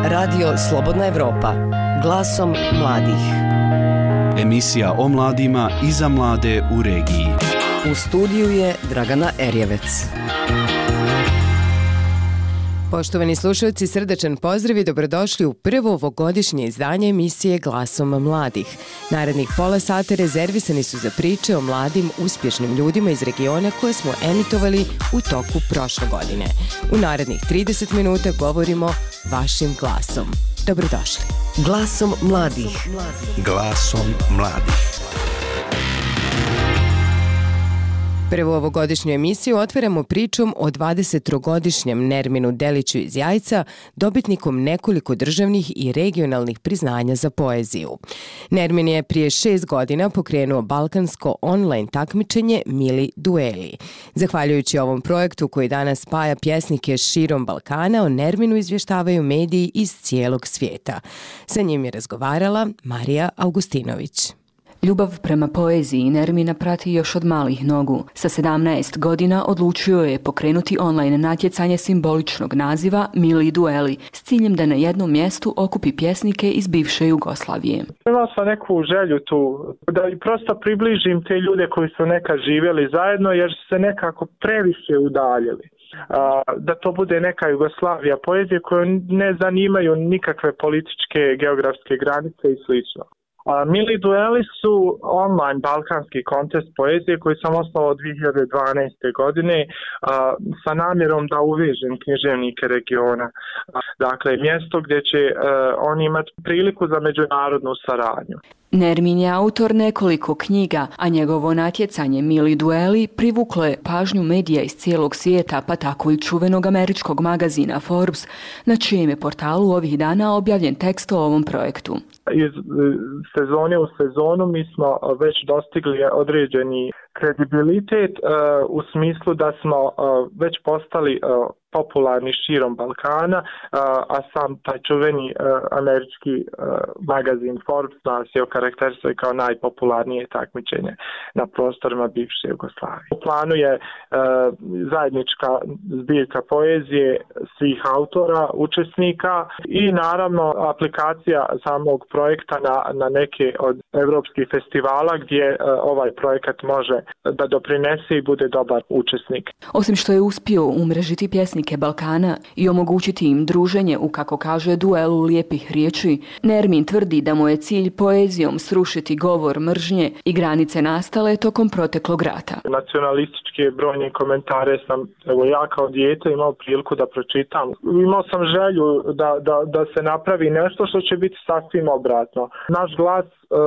Radio Slobodna Evropa, glasom mladih. Emisija o mladima i za mlade u regiji. U studiju je Dragana Erjevec. Poštovani slušalci, srdačan pozdrav i dobrodošli u prvo ovogodišnje izdanje emisije Glasom mladih. Narednih pola sata rezervisani su za priče o mladim, uspješnim ljudima iz regiona koje smo emitovali u toku prošle godine. U narednih trideset minuta govorimo vašim glasom. Dobrodošli. Glasom mladih. Glasom mladih. Prvu ovogodišnju emisiju otvaramo pričom o dvadesettrogodišnjem Nerminu Deliću iz Jajca, dobitnikom nekoliko državnih i regionalnih priznanja za poeziju. Nermin je prije šest godina pokrenuo balkansko online takmičenje Mili dueli. Zahvaljujući ovom projektu koji danas spaja pjesnike širom Balkana, o Nerminu izvještavaju mediji iz cijelog svijeta. Sa njim je razgovarala Marija Augustinović. Ljubav prema poeziji Nermina prati još od malih nogu. Sa sedamnaest godina odlučio je pokrenuti online natjecanje simboličnog naziva Mili dueli s ciljem da na jednom mjestu okupi pjesnike iz bivše Jugoslavije. Imao sam neku želju tu da prosto približim te ljude koji su nekad živjeli zajedno jer su se nekako previše udaljili. Da to bude neka Jugoslavija poezije koju ne zanimaju nikakve političke, geografske granice i slično. A Mili dueli su online balkanski kontest poezije koji sam osnovao dvije hiljade dvanaeste. godine a, sa namjerom da uvežem književnike regiona. A, dakle, mjesto gdje će a, oni imati priliku za međunarodnu saradnju. Nermin je autor nekoliko knjiga, a njegovo natjecanje Mili dueli privuklo je pažnju medija iz cijelog svijeta, pa tako i čuvenog američkog magazina Forbes, na čijem je portalu ovih dana objavljen tekst o ovom projektu. Iz sezone u sezonu mi smo već dostigli određeni kredibilitet uh, u smislu da smo uh, već postali uh, popularni širom Balkana, uh, a sam taj čuveni uh, američki uh, magazin Forbes nas je okarakterisao kao najpopularnije takmičenje na prostorima bivše Jugoslavije. U planu je uh, zajednička zbirka poezije svih autora, učesnika i naravno aplikacija samog projekta na, na neke od evropskih festivala gdje uh, ovaj projekat može da doprinese i bude dobar učesnik. Osim što je uspio umrežiti pjesnike Balkana i omogućiti im druženje u, kako kaže, duelu lijepih riječi, Nermin tvrdi da mu je cilj poezijom srušiti govor mržnje i granice nastale tokom proteklog rata. Nacionalističke brojne komentare sam, evo ja kao dijete imao priliku da pročitam. Imao sam želju da, da, da se napravi nešto što će biti sasvim obratno. Naš glas uh,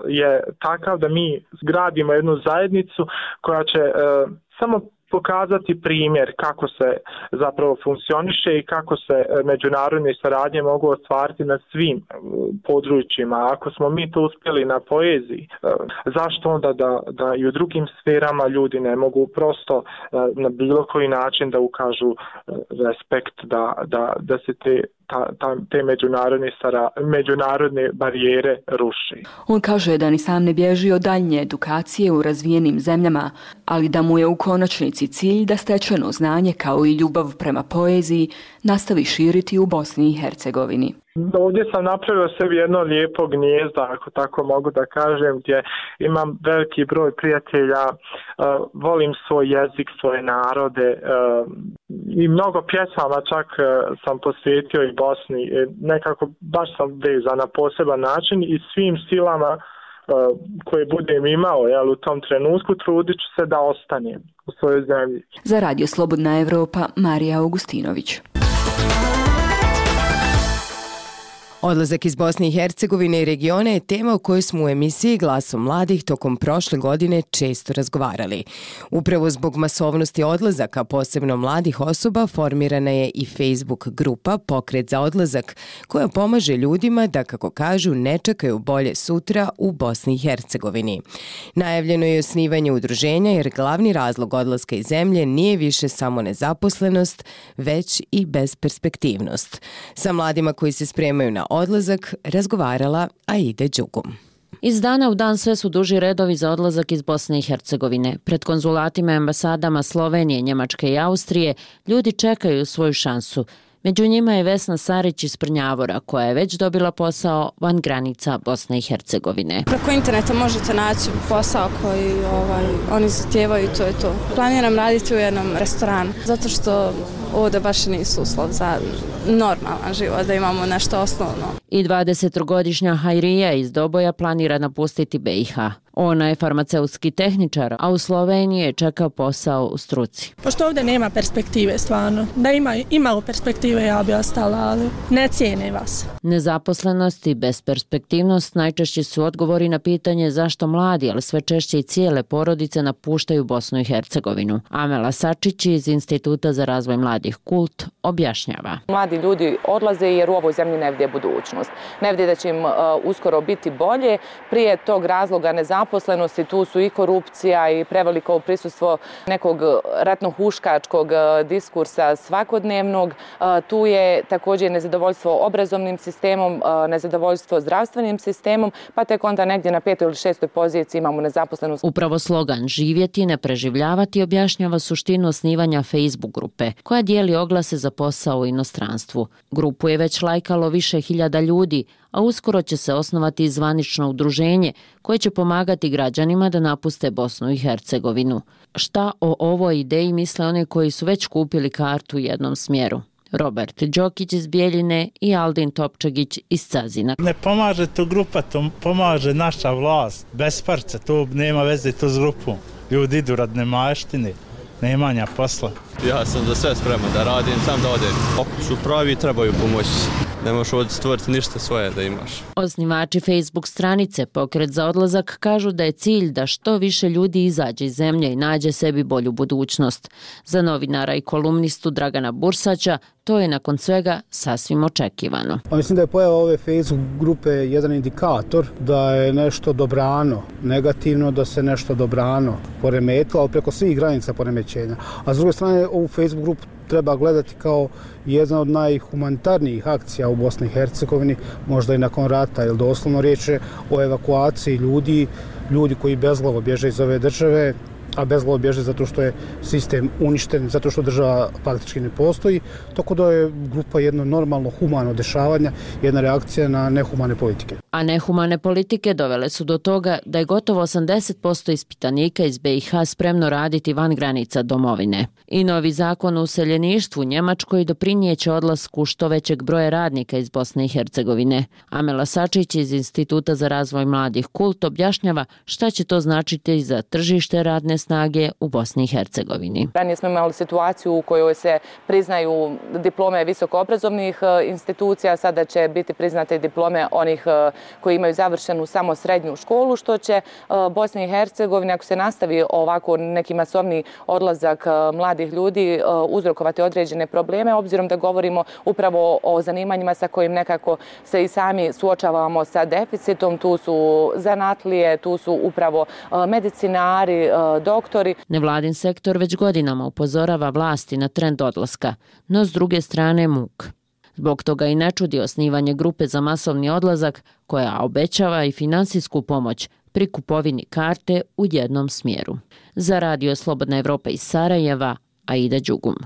je takav da mi gradimo jednu zajednicu koja će uh, samo pokazati primjer kako se zapravo funkcioniše i kako se međunarodne saradnje mogu ostvariti na svim područjima. Ako smo mi to uspjeli na poeziji, zašto onda da, da i u drugim sferama ljudi ne mogu prosto na bilo koji način da ukažu respekt, da, da, da se te ta, ta, te međunarodne, sara, međunarodne barijere ruši. On kaže da ni sam ne bježi od daljnje edukacije u razvijenim zemljama, ali da mu je u konačnici cilj da stečeno znanje kao i ljubav prema poeziji nastavi širiti u Bosni i Hercegovini. Ovdje sam napravio sebi jedno lijepo gnijezdo, ako tako mogu da kažem, gdje imam veliki broj prijatelja, uh, volim svoj jezik, svoje narode uh, i mnogo pjesama čak uh, sam posvetio i Bosni. E, nekako baš sam vezan na poseban način i svim silama uh, koje budem imao, jel, u tom trenutku trudit ću se da ostanem u svojoj zemlji. Za Radio Slobodna Evropa, Marija Augustinović. Odlazak iz Bosne i Hercegovine i regiona je tema o kojoj smo u emisiji Glasom mladih tokom prošle godine često razgovarali. Upravo zbog masovnosti odlazaka, posebno mladih osoba, formirana je i Facebook grupa Pokret za odlazak, koja pomaže ljudima da, kako kažu, ne čekaju bolje sutra u Bosni i Hercegovini. Najavljeno je osnivanje udruženja jer glavni razlog odlaska iz zemlje nije više samo nezaposlenost, već i besperspektivnost. Sa mladima koji se spremaju na odlazak razgovarala Aida Đugum. Iz dana u dan sve su duži redovi za odlazak iz Bosne i Hercegovine. Pred konzulatima i ambasadama Slovenije, Njemačke i Austrije ljudi čekaju svoju šansu. Među njima je Vesna Sarić iz Prnjavora, koja je već dobila posao van granica Bosne i Hercegovine. Preko interneta možete naći posao koji ovaj, oni zahtijevaju i to je to. Planiram raditi u jednom restoranu, zato što ovdje baš nisu uslov za normalan život, da imamo nešto osnovno. I dvadesetogodišnja Hajrija iz Doboja planira napustiti B i H. Ona je farmaceutski tehničar, a u Sloveniji je čekao posao u struci. Pošto ovdje nema perspektive stvarno, da ima imalo perspektive ja bi ostala, ali ne cijene vas. Nezaposlenost i besperspektivnost najčešći su odgovori na pitanje zašto mladi, ali sve češće i cijele porodice napuštaju Bosnu i Hercegovinu. Amela Sačić iz Instituta za razvoj mladih Kult objašnjava. Mladi ljudi odlaze jer u ovoj zemlji ne vide budućnost. Ne vide da će im uh, uskoro biti bolje. Prije tog razloga nezaposlenosti tu su i korupcija i preveliko prisustvo nekog ratno-huškačkog diskursa svakodnevnog. Uh, tu je također nezadovoljstvo obrazovnim sistemom, uh, nezadovoljstvo zdravstvenim sistemom, pa tek onda negdje na petoj ili šestoj poziciji imamo nezaposlenost. Upravo slogan živjeti, ne preživljavati objašnjava suštinu osnivanja Facebook grupe, koja dijeli oglase za posao u inostranstvu. Grupu je već lajkalo više hiljada ljudi, a uskoro će se osnovati i zvanično udruženje koje će pomagati građanima da napuste Bosnu i Hercegovinu. Šta o ovoj ideji misle oni koji su već kupili kartu u jednom smjeru? Robert Đokić iz Bijeljine i Aldin Topčagić iz Cazina. Ne pomaže tu grupa, to pomaže naša vlast. Bez parca, to nema veze to s grupom. Ljudi idu rad nemaštine, nemanja posla. Ja sam za sve spreman da radim, sam da odem. Ako su pravi, trebaju pomoći. Ne možeš ovdje stvoriti ništa svoje da imaš. Osnivači Facebook stranice Pokret za odlazak kažu da je cilj da što više ljudi izađe iz zemlje i nađe sebi bolju budućnost. Za novinara i kolumnistu Dragana Bursaća to je nakon svega sasvim očekivano. Mislim da je pojava ove Facebook grupe jedan indikator da je nešto dobrano, negativno da se nešto dobrano poremetilo, ali preko svih granica poremećenja. A s druge strane, ovu Facebook grupu treba gledati kao jedna od najhumanitarnijih akcija u Bosni i Hercegovini, možda i nakon rata, jer doslovno riječ je o evakuaciji ljudi, ljudi koji bezglavo bježe iz ove države, a bezglavo bježe zato što je sistem uništen, zato što država faktički ne postoji, tako da je grupa jedno normalno humano dešavanja, jedna reakcija na nehumane politike. A nehumane politike dovele su do toga da je gotovo osamdeset posto ispitanika iz B i H spremno raditi van granica domovine. I novi zakon o useljeništvu u Njemačkoj doprinijeće odlasku što većeg broja radnika iz Bosne i Hercegovine. Amela Sačić iz Instituta za razvoj mladih Kult objašnjava šta će to značiti za tržište radne snage u Bosni i Hercegovini. Ranije smo imali situaciju u kojoj se priznaju diplome visokoobrazovnih institucija, sada će biti priznate diplome onih koji imaju završenu samo srednju školu, što će Bosni i Hercegovini, ako se nastavi ovako neki masovni odlazak mladih ljudi, uzrokovati određene probleme, obzirom da govorimo upravo o zanimanjima sa kojim nekako se i sami suočavamo sa deficitom. Tu su zanatlije, tu su upravo medicinari, doktori. Nevladin sektor već godinama upozorava vlasti na trend odlaska, no s druge strane muk. Zbog toga i ne čudi osnivanje grupe za masovni odlazak koja obećava i finansijsku pomoć pri kupovini karte u jednom smjeru. Za Radio Slobodna Evropa iz Sarajeva, Aida Đugum.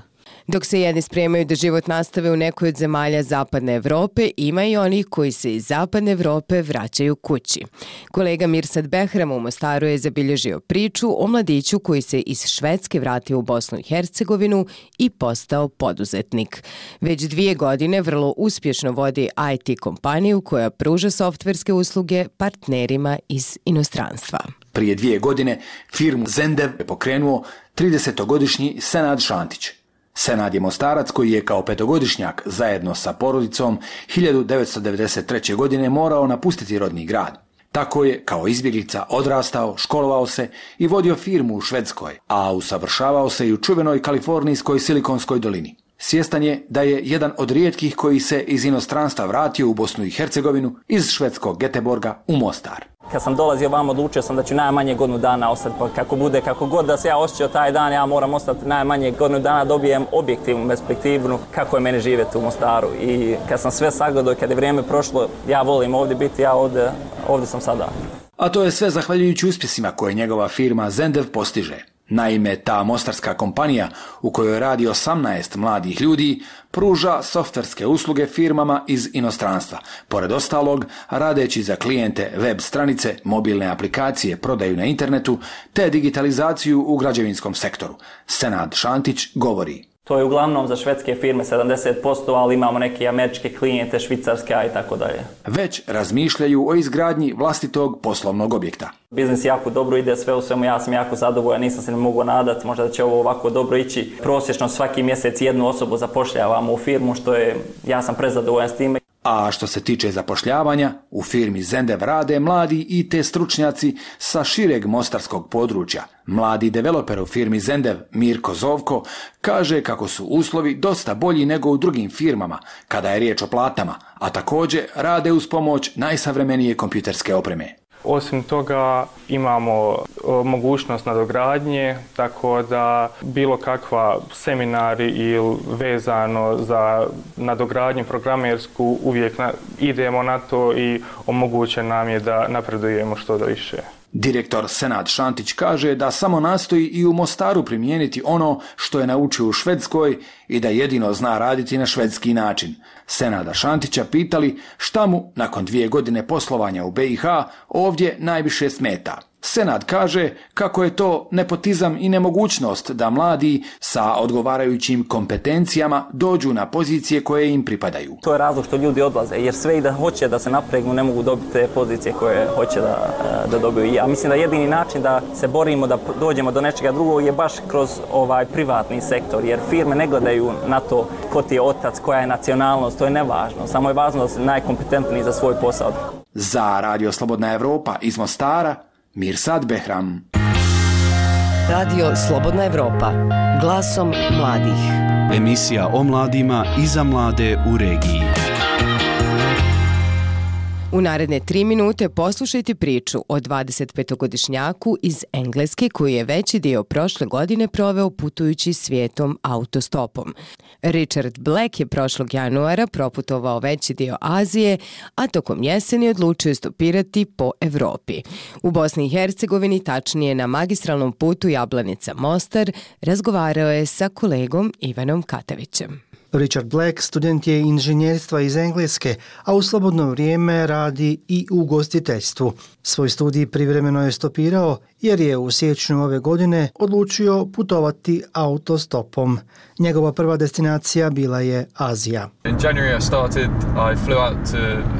Dok se jedni spremaju da život nastave u nekoj od zemalja Zapadne Evrope, ima i onih koji se iz Zapadne Evrope vraćaju kući. Kolega Mirsad Behram u Mostaru je zabilježio priču o mladiću koji se iz Švedske vratio u Bosnu i Hercegovinu i postao poduzetnik. Već dvije godine vrlo uspješno vodi I T kompaniju koja pruža softverske usluge partnerima iz inostranstva. Prije dvije godine firmu Zendev je pokrenuo tridesetogodišnji Senad Šantić. Senad je Mostarac koji je kao petogodišnjak zajedno sa porodicom hiljadu devetsto devedeset treće. godine morao napustiti rodni grad. Tako je kao izbjeglica odrastao, školovao se i vodio firmu u Švedskoj, a usavršavao se i u čuvenoj kalifornijskoj Silikonskoj dolini. Svjestan je da je jedan od rijetkih koji se iz inostranstva vratio u Bosnu i Hercegovinu iz švedskog Göteborga u Mostar. Kad sam dolazio vam, odlučio sam da ću najmanje godinu dana ostati, pa kako bude, kako god da se ja osjećao taj dan, ja moram ostati najmanje godinu dana, dobijem objektivnu perspektivnu kako je meni živjeti u Mostaru. I kad sam sve sagledao, kad je vrijeme prošlo, ja volim ovdje biti, ja ovdje, ovdje sam sada. A to je sve zahvaljujući uspjesima koje njegova firma Zendev postiže. Naime, ta mostarska kompanija u kojoj radi osamnaest mladih ljudi pruža softverske usluge firmama iz inostranstva. Pored ostalog, radeći za klijente web stranice, mobilne aplikacije, prodaju na internetu te digitalizaciju u građevinskom sektoru. Senad Šantić govori. To je uglavnom za švedske firme sedamdeset posto, ali imamo neke američke klijente, švicarska i tako dalje. Već razmišljaju o izgradnji vlastitog poslovnog objekta. Biznis jako dobro ide, sve u svemu, ja sam jako zadovoljan, nisam se ne mogu nadati, možda da će ovo ovako dobro ići. Prosječno svaki mjesec jednu osobu zapošljavamo u firmu, što je, ja sam prezadovoljan s time. A što se tiče zapošljavanja, u firmi Zendev rade mladi I T stručnjaci sa šireg mostarskog područja. Mladi developer u firmi Zendev, Mirko Zovko, kaže kako su uslovi dosta bolji nego u drugim firmama kada je riječ o platama, a također rade uz pomoć najsavremenije kompjuterske opreme. Osim toga imamo mogućnost nadogradnje, tako da bilo kakva seminari ili vezano za nadogradnju programersku uvijek na, idemo na to i omogućeno nam je da napredujemo što da više. Direktor Senad Šantić kaže da samo nastoji i u Mostaru primijeniti ono što je naučio u Švedskoj i da jedino zna raditi na švedski način. Senada Šantića pitali šta mu nakon dvije godine poslovanja u B i H ovdje najviše smeta. Senad kaže kako je to nepotizam i nemogućnost da mladi sa odgovarajućim kompetencijama dođu na pozicije koje im pripadaju. To je razlog što ljudi odlaze, jer sve i da hoće da se napregnu ne mogu dobiti te pozicije koje hoće da, da dobiju. Ja mislim da jedini način da se borimo da dođemo do nečega drugog je baš kroz ovaj privatni sektor, jer firme ne gledaju na to ko ti je otac, koja je nacionalnost, to je nevažno. Samo je važno da si najkompetentniji za svoj posao. Za Radio Slobodna Evropa iz Mostara, Mirsad Behram. Radio Slobodna Evropa, glasom mladih. Emisija o mladima i za mlade u regiji. U naredne tri minute poslušajte priču o dvadesetpetogodišnjaku iz Engleske koji je veći dio prošle godine proveo putujući svijetom autostopom. Richard Black je prošlog januara proputovao veći dio Azije, a tokom jeseni odlučio stopirati po Evropi. U Bosni i Hercegovini, tačnije na magistralnom putu Jablanica-Mostar, razgovarao je sa kolegom Ivanom Katavićem. Richard Black student je inženjerstva iz Engleske, a u slobodno vrijeme radi i u ugostiteljstvu. Svoj studij privremeno je stopirao jer je u siječnju ove godine odlučio putovati autostopom. Njegova prva destinacija bila je Azija. In January I started, I flew out to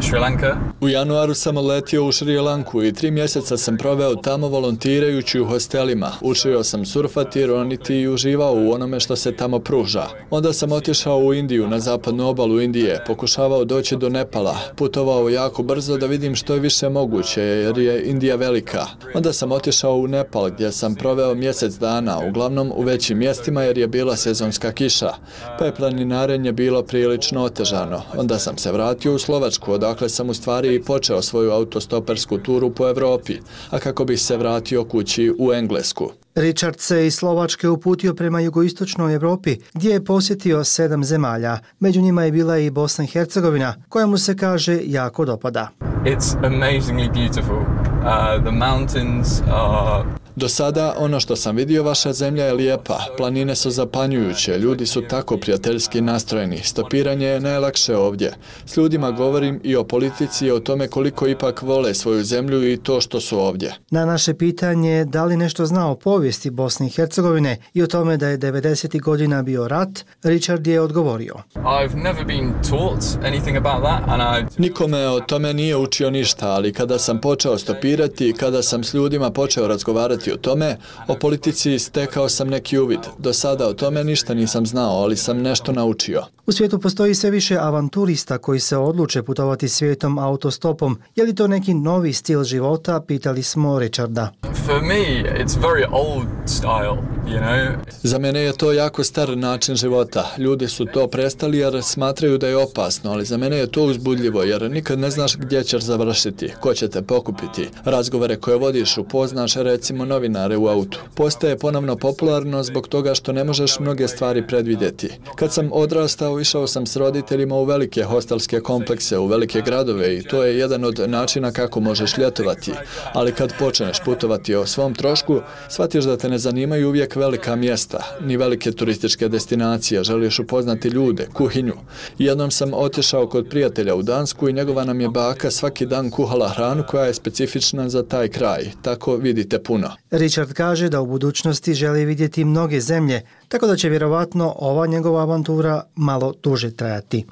Sri Lanka. U januaru sam letio u Šri Lanku i tri mjeseca sam proveo tamo volontirajući u hostelima. Učio sam surfati, roniti i uživao u onome što se tamo pruža. Onda sam otišao u Indiju, na zapadnu obalu Indije, pokušavao doći do Nepala, putovao jako brzo da vidim što je više moguće jer je Indija velika. Onda sam otišao u Nepal gdje sam proveo mjesec dana, uglavnom u većim mjestima jer je bila sezonska kiša, pa je planinarenje bilo prilično otežano. Onda sam se vratio u Slovačku, odakle sam u stvari i počeo svoju autostopersku turu po Evropi, a kako bih se vratio kući u Englesku. Richard se iz Slovačke uputio prema jugoistočnoj Evropi, gdje je posjetio sedam zemalja. Među njima je bila i Bosna i Hercegovina, koja mu se kaže jako dopada. It's amazingly beautiful. Uh, the mountains are... Do sada, ono što sam vidio, vaša zemlja je lijepa, planine su zapanjujuće, ljudi su tako prijateljski nastrojeni, stopiranje je najlakše ovdje. S ljudima govorim i o politici i o tome koliko ipak vole svoju zemlju i to što su ovdje. Na naše pitanje da li nešto zna o povijesti Bosne i Hercegovine i o tome da je devedesetih godina bio rat, Richard je odgovorio. I've never been taught anything about that and I... Nikome o tome nije učio ništa, ali kada sam počeo stopirati, kada sam s ljudima počeo razgovarati o tome, o politici stekao sam neki uvid. Do sada o tome ništa nisam znao, ali sam nešto naučio. U svijetu postoji sve više avanturista koji se odluče putovati svijetom autostopom. Je li to neki novi stil života, pitali smo Richarda. For me, it's very old style, you know. Za mene je to jako star način života. Ljudi su to prestali jer smatraju da je opasno, ali za mene je to uzbudljivo jer nikad ne znaš gdje ćeš završiti, ko će te pokupiti. Razgovore koje vodiš upoznaš recimo novinare u autu. Postaje ponovno popularno zbog toga što ne možeš mnoge stvari predvidjeti. Kad sam odrastao, išao sam s roditeljima u velike hostelske komplekse, u velike gradove i to je jedan od načina kako možeš ljetovati. Ali kad počneš putovati o svom trošku, shvatiš da te ne zanimaju uvijek velika mjesta, ni velike turističke destinacije, želiš upoznati ljude, kuhinju. Jednom sam otišao kod prijatelja u Dansku i njegova nam je baka svaki dan kuhala hranu koja je specifična za taj kraj. Tako vidite puno. Richard kaže da u budućnosti želi vidjeti mnoge zemlje, tako da će vjerovatno ova njegova avantura malo duže trajati.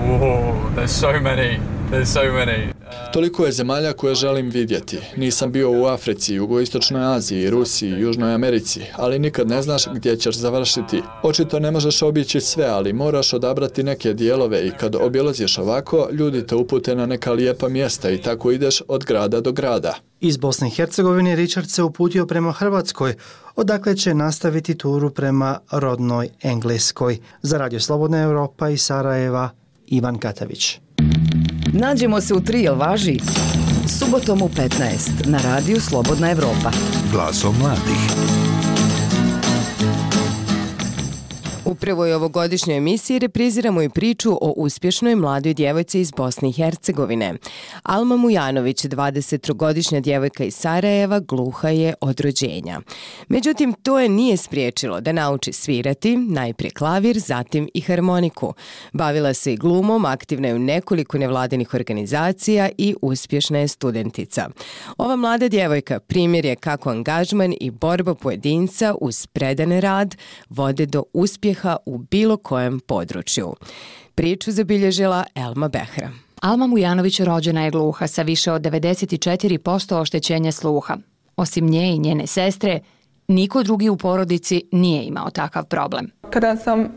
Whoa, there's so many. There's so many. Toliko je zemalja koje želim vidjeti. Nisam bio u Africi, Jugoistočnoj Aziji, Rusiji, Južnoj Americi, ali nikad ne znaš gdje ćeš završiti. Očito ne možeš obići sve, ali moraš odabrati neke dijelove i kad obilaziš ovako, ljudi te upute na neka lijepa mjesta i tako ideš od grada do grada. Iz Bosne i Hercegovine Richard se uputio prema Hrvatskoj, odakle će nastaviti turu prema rodnoj Engleskoj. Za Radio Slobodna Evropa iz Sarajeva, Ivan Katavić. Nađemo se u tri, jel važi? Subotom u petnaest na Radiju Slobodna Evropa. Glasom mladih. U prvoj ovogodišnjoj emisiji repriziramo i priču o uspješnoj mladoj djevojci iz Bosne i Hercegovine. Alma Mujanović, dvadesettrogodišnja djevojka iz Sarajeva, gluha je od rođenja. Međutim, to je nije spriječilo da nauči svirati, najprije klavir, zatim i harmoniku. Bavila se i glumom, aktivna je u nekoliko nevladinih organizacija i uspješna je studentica. Ova mlada djevojka primjer je kako angažman i borba pojedinca uz predan rad vode do uspjeha u bilo kojem području. Priču zabilježila Elma Behra. Alma Mujanović rođena je gluha sa više od devedeset četiri posto oštećenja sluha. Osim nje i njene sestre, niko drugi u porodici nije imao takav problem. Kada sam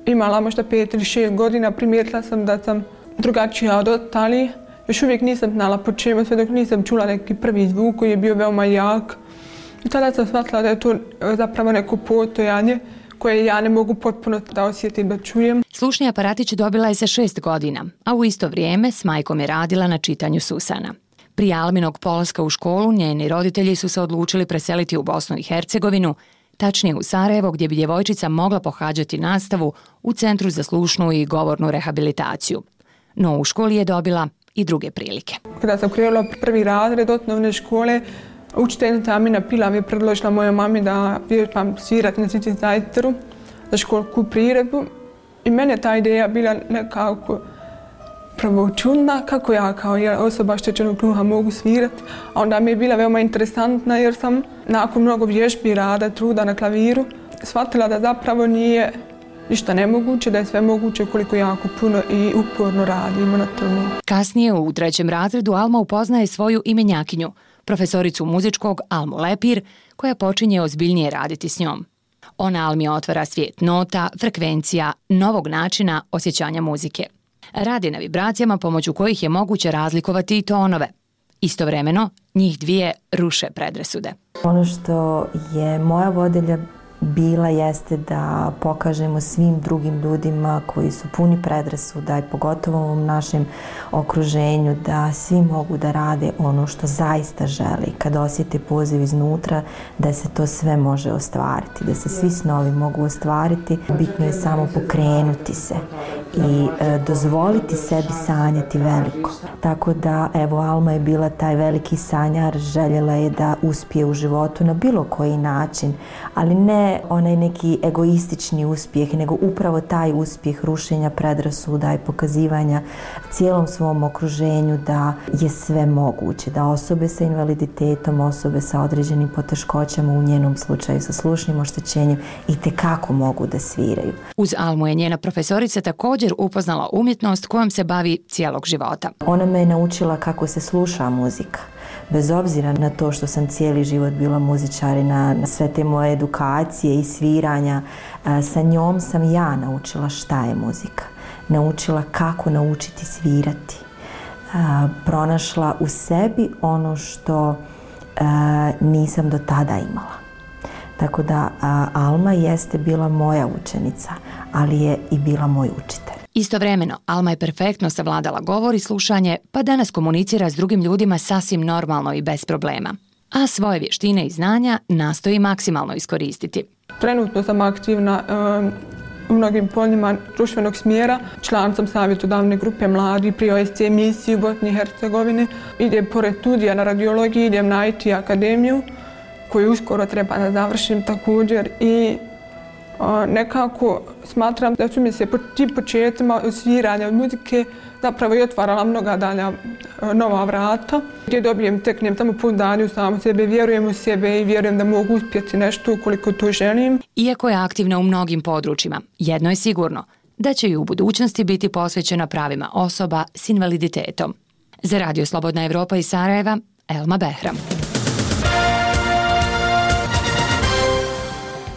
imala možda pet ili šest godina, primijetila sam da sam drugačija od ostalih. Još uvijek nisam znala po čemu, sve dok nisam čula neki prvi zvuk koji je bio veoma jak. I tada sam shvatila da je to zapravo neko postojanje koje ja ne mogu potpuno da osjetim, da čujem. Slušni aparatić dobila je sa šest godina, a u isto vrijeme s majkom je radila na čitanju susana. Prije Alminog polaska u školu, njeni roditelji su se odlučili preseliti u Bosnu i Hercegovinu, tačnije u Sarajevo, gdje bi djevojčica mogla pohađati nastavu u Centru za slušnu i govornu rehabilitaciju. No u školi je dobila i druge prilike. Kada sam krenula prvi razred osnovne škole, učiteljica Amina Pilav je predložila mojoj mami da vježbam svirati na sintetizatoru za školsku priredbu. I mene ta ideja bila nekako prvo čudna, kako ja kao osoba oštećenog sluha mogu svirati. A onda mi je bila veoma interesantna jer sam nakon mnogo vježbi, rada, truda na klaviru shvatila da zapravo nije ništa nemoguće, da je sve moguće koliko jako puno i uporno radimo na tome. Kasnije u trećem razredu Alma upoznaje svoju imenjakinju, profesoricu muzičkog Almu Lepir, koja počinje ozbiljnije raditi s njom. Ona Almi otvara svijet nota, frekvencija, novog načina osjećanja muzike. Radi na vibracijama pomoću kojih je moguće razlikovati i tonove. Istovremeno, njih dvije ruše predrasude. Ono što je moja vodilja bila jeste da pokažemo svim drugim ljudima koji su puni predrasuda i pogotovo u našem okruženju da svi mogu da rade ono što zaista želi. Kad osjete poziv iznutra da se to sve može ostvariti, da se svi snovi mogu ostvariti, bitno je samo pokrenuti se i e, dozvoliti sebi sanjati veliko. Tako da, evo, Alma je bila taj veliki sanjar, željela je da uspije u životu na bilo koji način, ali ne onaj neki egoistični uspjeh, nego upravo taj uspjeh rušenja predrasuda i pokazivanja cijelom svom okruženju da je sve moguće, da osobe sa invaliditetom, osobe sa određenim poteškoćama, u njenom slučaju sa slušnim oštećenjem, i tekako mogu da sviraju. Uz Almu je njena profesorica također upoznala umjetnost kojom se bavi cijelog života. Ona me je naučila kako se sluša muzika. Bez obzira na to što sam cijeli život bila muzičar i na, na sve te moje edukacije i sviranja, sa njom sam ja naučila šta je muzika. Naučila kako naučiti svirati. Pronašla u sebi ono što nisam do tada imala. Tako da Alma jeste bila moja učenica, ali je i bila moj učitelj. Istovremeno, Alma je perfektno savladala govor i slušanje, pa danas komunicira s drugim ljudima sasvim normalno i bez problema. A svoje vještine i znanja nastoji maksimalno iskoristiti. Trenutno sam aktivna um, u mnogim poljima društvenog smjera. Član sam savjetodavne grupe mladi pri O S C misiji u Bosni i Hercegovini. Idem pored studija na radiologiji, idem na I T akademiju koju uskoro treba da završim također i o, nekako smatram da su mi se po tim početcima sviranja od muzike zapravo i otvarala mnoga dalja nova vrata gdje dobijem, teknem tamo pouzdanje u samu sebe, vjerujem u sebe i vjerujem da mogu uspjeti nešto ukoliko to želim. Iako je aktivna u mnogim područjima, jedno je sigurno, da će i u budućnosti biti posvećena pravima osoba s invaliditetom. Za Radio Slobodna Evropa iz Sarajeva, Elma Behram.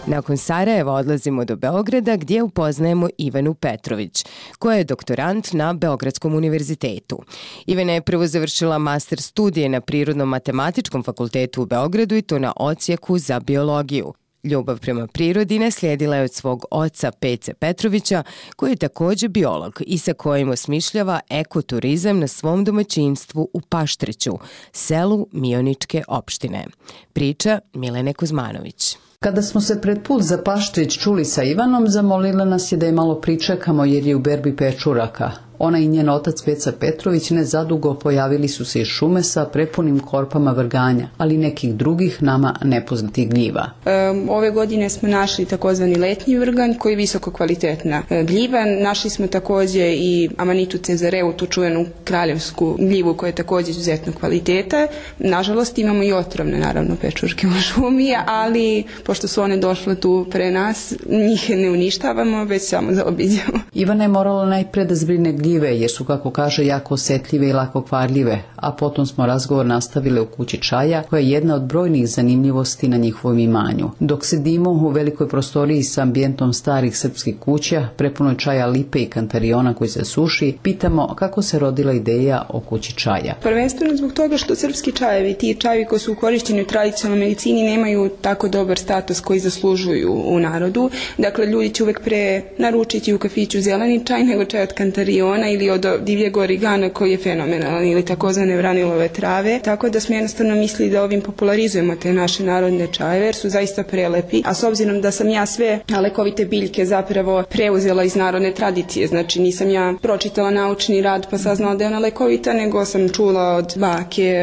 Nakon Sarajeva odlazimo do Beograda gdje upoznajemo Ivanu Petrović, koja je doktorant na Beogradskom univerzitetu. Ivana je prvo završila master studije na Prirodno-matematičkom fakultetu u Beogradu i to na odsjeku za biologiju. Ljubav prema prirodi naslijedila je od svog oca Pece Petrovića, koji je također biolog i sa kojim osmišljava ekoturizam na svom domaćinstvu u Paštreću, selu Mioničke opštine. Priča Milene Kuzmanović. Kada smo se pred put za Paštrić čuli sa Ivanom, zamolila nas je da je malo pričekamo jer je u berbi pečuraka. Ona i njen otac Peca Petrović nezadugo pojavili su se iz šume sa prepunim korpama vrganja, ali nekih drugih nama nepoznatih gljiva. Um, ove godine smo našli takozvani letnji vrganj koji je visoko kvalitetna gljiva. Našli smo također i Amanitu cezareu, tu čuvenu kraljevsku gljivu koja je također izuzetno kvaliteta. Nažalost imamo i otrovne naravno pečurke u šumi, ali pošto su one došle tu pre nas, njih ne uništavamo, već samo zaobiđemo. Ivana je morala najpre da zbrine gljive jer su, kako kaže, jako osjetljive i lako kvarljive, a potom smo razgovor nastavile u kući čaja, koja je jedna od brojnih zanimljivosti na njihovom imanju. Dok sedimo u velikoj prostoriji sa ambijentom starih srpskih kuća, prepunoj čaja lipe i kantariona koji se suši, pitamo kako se rodila ideja o kući čaja. Prvenstveno zbog toga što srpski čajevi, ti čajevi koji su korišteni u tradicionalnoj medicini, nemaju tako dobar status koji zaslužuju u narodu. Dakle, ljudi će uvek pre naručiti u kafiću zeleni čaj nego čaj od kantariona ili od divljeg origana koji je fenomenalan ili takozvane vranilove trave. Tako da smo jednostavno mislili da ovim popularizujemo te naše narodne čajeve jer su zaista prelepi. A s obzirom da sam ja sve lekovite biljke zapravo preuzela iz narodne tradicije, znači nisam ja pročitala naučni rad pa saznala da je ona lekovita, nego sam čula od bake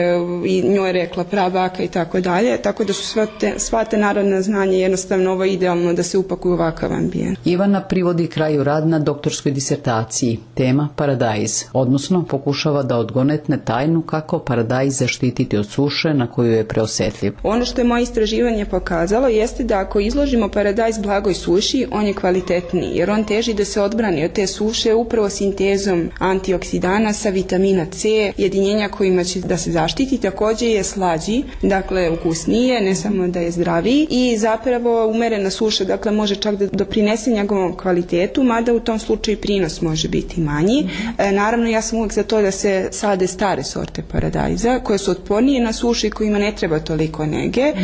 i njoj rekla prabaka i tako dalje. Tako da su sva te, sva te narodna znanja jednostavno ovo idealno da se upakuju u ovakav ambijent. Ivana privodi kraju rad na doktorskoj disertaciji. Tema paradajz, odnosno pokušava da odgonetne tajnu kako paradajz zaštititi od suše na koju je preosjetljiv. Ono što je moje istraživanje pokazalo jeste da ako izložimo paradajz blagoj suši, on je kvalitetniji, jer on teži da se odbrani od te suše upravo sintezom antioksidana sa vitamina C, jedinjenja kojima će da se zaštiti, također je slađi, dakle ukusnije, ne samo da je zdraviji i zapravo umerena suša, dakle može čak da doprinese njegovom kvalitetu, mada u tom slučaju prinos može biti manji. otporniji. E, naravno, ja sam uvijek za to da se sade stare sorte paradajza, koje su otpornije na sušu i kojima ne treba toliko nege, e,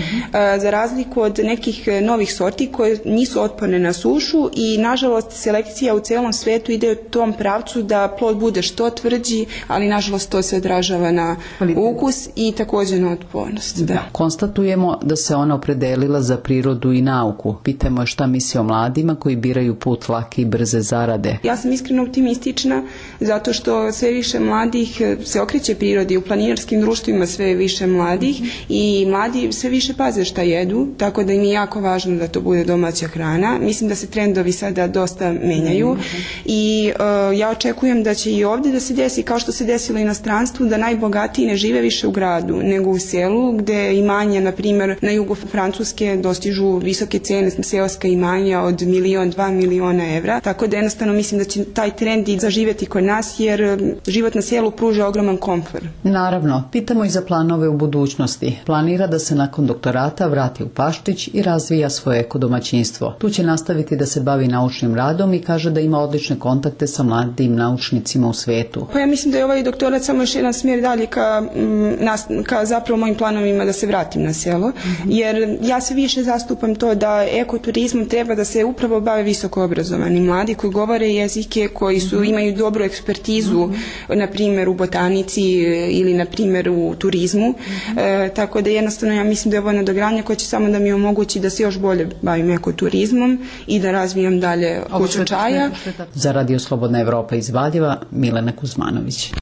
za razliku od nekih novih sorti koje nisu otporne na sušu i, nažalost, selekcija u celom svetu ide u tom pravcu da plod bude što tvrđi, ali, nažalost, to se odražava na ukus i također na otpornost. Da. Konstatujemo da se ona opredelila za prirodu i nauku. Pitamo je šta misli o mladima koji biraju put lake i brze zarade. Ja sam iskreno optimistična zato što sve više mladih se okreće prirodi, u planinarskim društvima sve više mladih i mladi sve više paze šta jedu, tako da im je jako važno da to bude domaća hrana. Mislim da se trendovi sada dosta menjaju i uh, ja očekujem da će i ovdje da se desi kao što se desilo i na stranstvu, da najbogatiji ne žive više u gradu nego u selu, gde imanja, na primjer, na jugu Francuske dostižu visoke cene, seoska imanja od milion, dva miliona evra, tako da jednostavno mislim da će taj trend i zaživjeti kod nas, jer život na selu pruža ogroman komfor. Naravno, pitamo i za planove u budućnosti. Planira da se nakon doktorata vrati u Paštrić i razvija svoje ekodomaćinstvo. Tu će nastaviti da se bavi naučnim radom i kaže da ima odlične kontakte sa mladim naučnicima u svetu. Pa ja mislim da je ovaj doktorat samo još jedan smjer dalje ka, m, ka zapravo mojim planovima da se vratim na selo, jer ja se više zastupam to da ekoturizmom treba da se upravo bave visoko obrazovani mladi koji govore jezike, koji su, imaju dobru ekspertizu, na primjer u botanici ili na primjer u turizmu, e, tako da jednostavno ja mislim da je ovo nadogradnja koja će samo da mi omogući da se još bolje bavim ekoturizmom i da razvijam dalje kuću čaja. Za Radio Slobodna Evropa iz Valjeva, Milena Kuzmanović.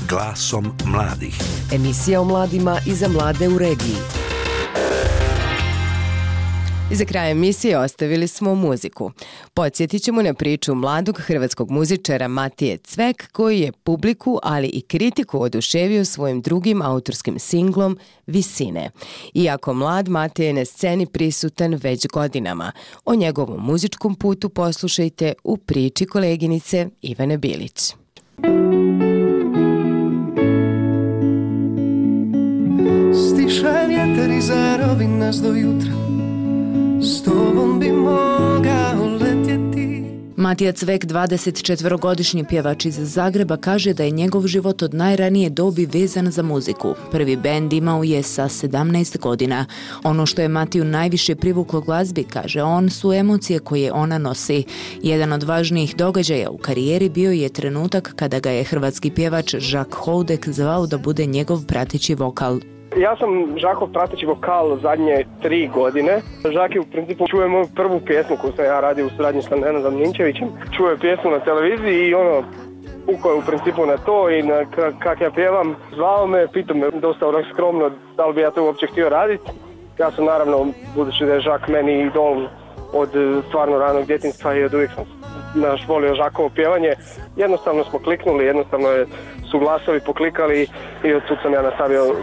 Glasom mladih. Emisija o mladima i za mlade u regiji. I za kraj emisije ostavili smo muziku. Podsjetit ćemo na priču mladog hrvatskog muzičara Matije Cvek, koji je publiku, ali i kritiku oduševio svojim drugim autorskim singlom Visine. Iako mlad, Matije je na sceni prisutan već godinama. O njegovom muzičkom putu poslušajte u priči koleginice Ivane Bilić. Stiša vjetar i zarovi nas do jutra, s tobom bi mogao letjeti. Matija Cvek, dvadesetčetvorogodišnji pjevač iz Zagreba, kaže da je njegov život od najranije dobi vezan za muziku. Prvi bend imao je sa sedamnaest godina. Ono što je Matiju najviše privuklo glazbi, kaže on, su emocije koje ona nosi. Jedan od važnijih događaja u karijeri bio je trenutak kada ga je hrvatski pjevač Žak Houdek zvao da bude njegov prateći vokal. Ja sam Žakov prateći vokal zadnje tri godine. Žak je u principu čuje moju prvu pjesmu koju sam ja radio u suradnji sa Nenadom Ninčevićem. Čuje pjesmu na televiziji i ono, ukao je u principu na to i na kak ja pjevam. Zvao me, pitao me dosta onak skromno da li bi ja to uopće htio raditi. Ja sam naravno, budući da je Žak meni idol od stvarno ranog djetinjstva i od uvijek sam naš volio Žakovo pjevanje, jednostavno smo kliknuli, jednostavno je su glasovi poklikali i od tu sam ja nastavio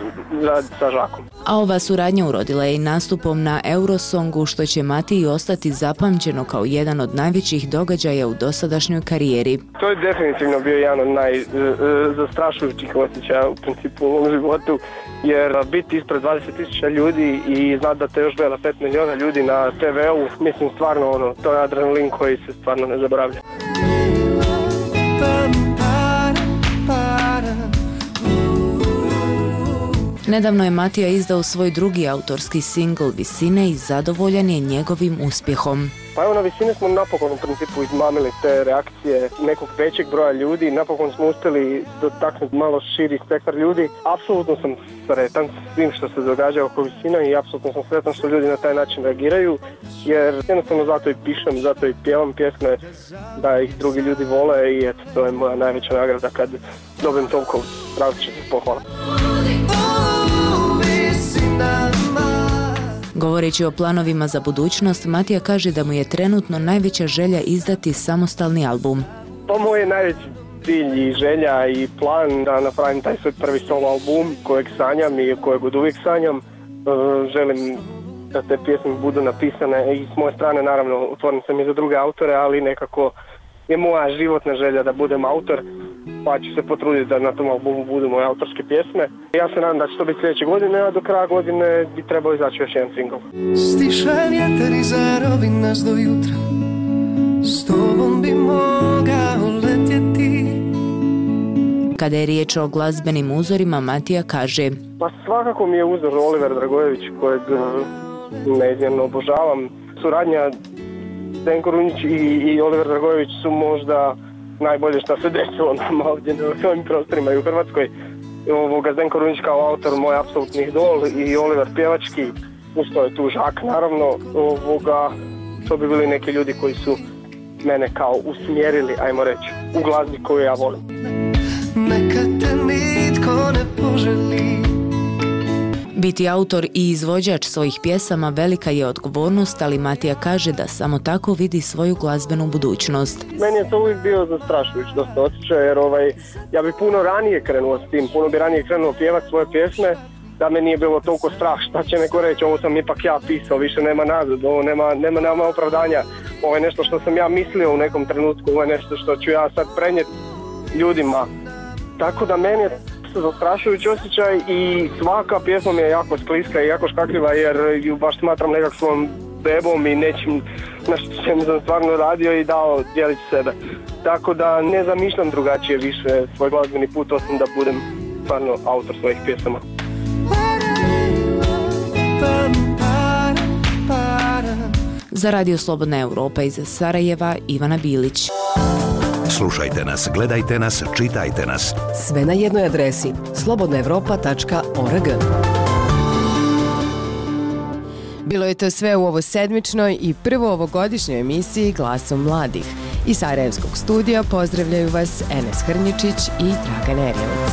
raditi sa Žakom. A ova suradnja urodila je i nastupom na Eurosongu, što će Matiji ostati zapamćeno kao jedan od najvećih događaja u dosadašnjoj karijeri. To je definitivno bio jedan od najzastrašujućih osjećaja u principu u mom životu, jer biti ispred dvadeset tisuća ljudi i znati da te još gleda pet miliona ljudi na te veu, mislim stvarno ono, to je adrenalin koji se stvarno ne zaboravlja. Nedavno je Matija izdao svoj drugi autorski singl Visine i zadovoljan je njegovim uspjehom. Pa evo, na Visine smo napokon u principu izmamili te reakcije nekog većeg broja ljudi, napokon smo uspjeli dotaknuti malo širi spektar ljudi. Apsolutno sam sretan s svim što se događa oko Visina i apsolutno sam sretan što ljudi na taj način reagiraju, jer jednostavno zato i pišem, zato i pjevam pjesme, da ih drugi ljudi vole i eto, to je moja najveća nagrada kad dobijem toliko različitih pohvala. Govoreći o planovima za budućnost, Matija kaže da mu je trenutno najveća želja izdati samostalni album. To moj je najveći cilj i želja i plan da napravim taj svoj prvi solo album kojeg sanjam i kojeg od uvijek sanjam. Želim da te pjesme budu napisane i s moje strane, naravno, otvorim sam i za druge autore, ali nekako je moja životna želja da budem autor, pa ću se potruditi da na tom albumu budu moje autorske pjesme. Ja se nadam da će to biti sljedeće godine, a do kraja godine bi trebao izaći još jedan singl. Stiša vjetar i zarovi nas do jutra, s tobom bi mogao letiti. Kada je riječ o glazbenim uzorima, Matija kaže: Pa svakako mi je uzor Oliver Dragojević, kojeg neizmjerno obožavam. Suradnja Zdenko Runjić i, i Oliver Dragojević su možda najbolje što se desilo nam ovdje na ovim prostorima i u Hrvatskoj. Ovoga, Zdenko Runjić kao autor moj apsolutni idol i Oliver pjevački, usto je tu Žak naravno. Ovoga, to bi bili neki ljudi koji su mene kao usmjerili, ajmo reći, u glazbi koju ja volim. Neka te nitko ne poželi. Biti autor i izvođač svojih pjesama velika je odgovornost, ali Matija kaže da samo tako vidi svoju glazbenu budućnost. Meni je to uvijek bio zastrašujući dosta osjećaj, jer ovaj, ja bi puno ranije krenuo s tim, puno bi ranije krenuo pjevati svoje pjesme, da me nije bilo toliko strah, šta će neko reći, ovo sam ipak ja pisao, više nema nazad, ovo nema, nema, nema opravdanja, ovo je nešto što sam ja mislio u nekom trenutku, ovo je nešto što ću ja sad prenijeti ljudima. Tako da meni je zastrašujući osjećaj i svaka pjesma mi je jako skliska i jako škakljiva, jer ju baš smatram nekak svojom bebom i nečim na čemu sam stvarno radio i dao djelić sebe. Tako da ne zamišljam drugačije više svoj glazbeni put, osim da budem stvarno autor svojih pjesama. Za Radio Slobodna Europa iz Sarajeva, Ivana Bilić. Slušajte nas, gledajte nas, čitajte nas. Sve na jednoj adresi slobodna evropa tačka org. Bilo je to sve u ovo sedmičnoj i prvo ovogodišnjoj emisiji Glasom mladih. Iz Sarajevskog studija pozdravljaju vas Enes Hrnjičić i Dragan Erjevac.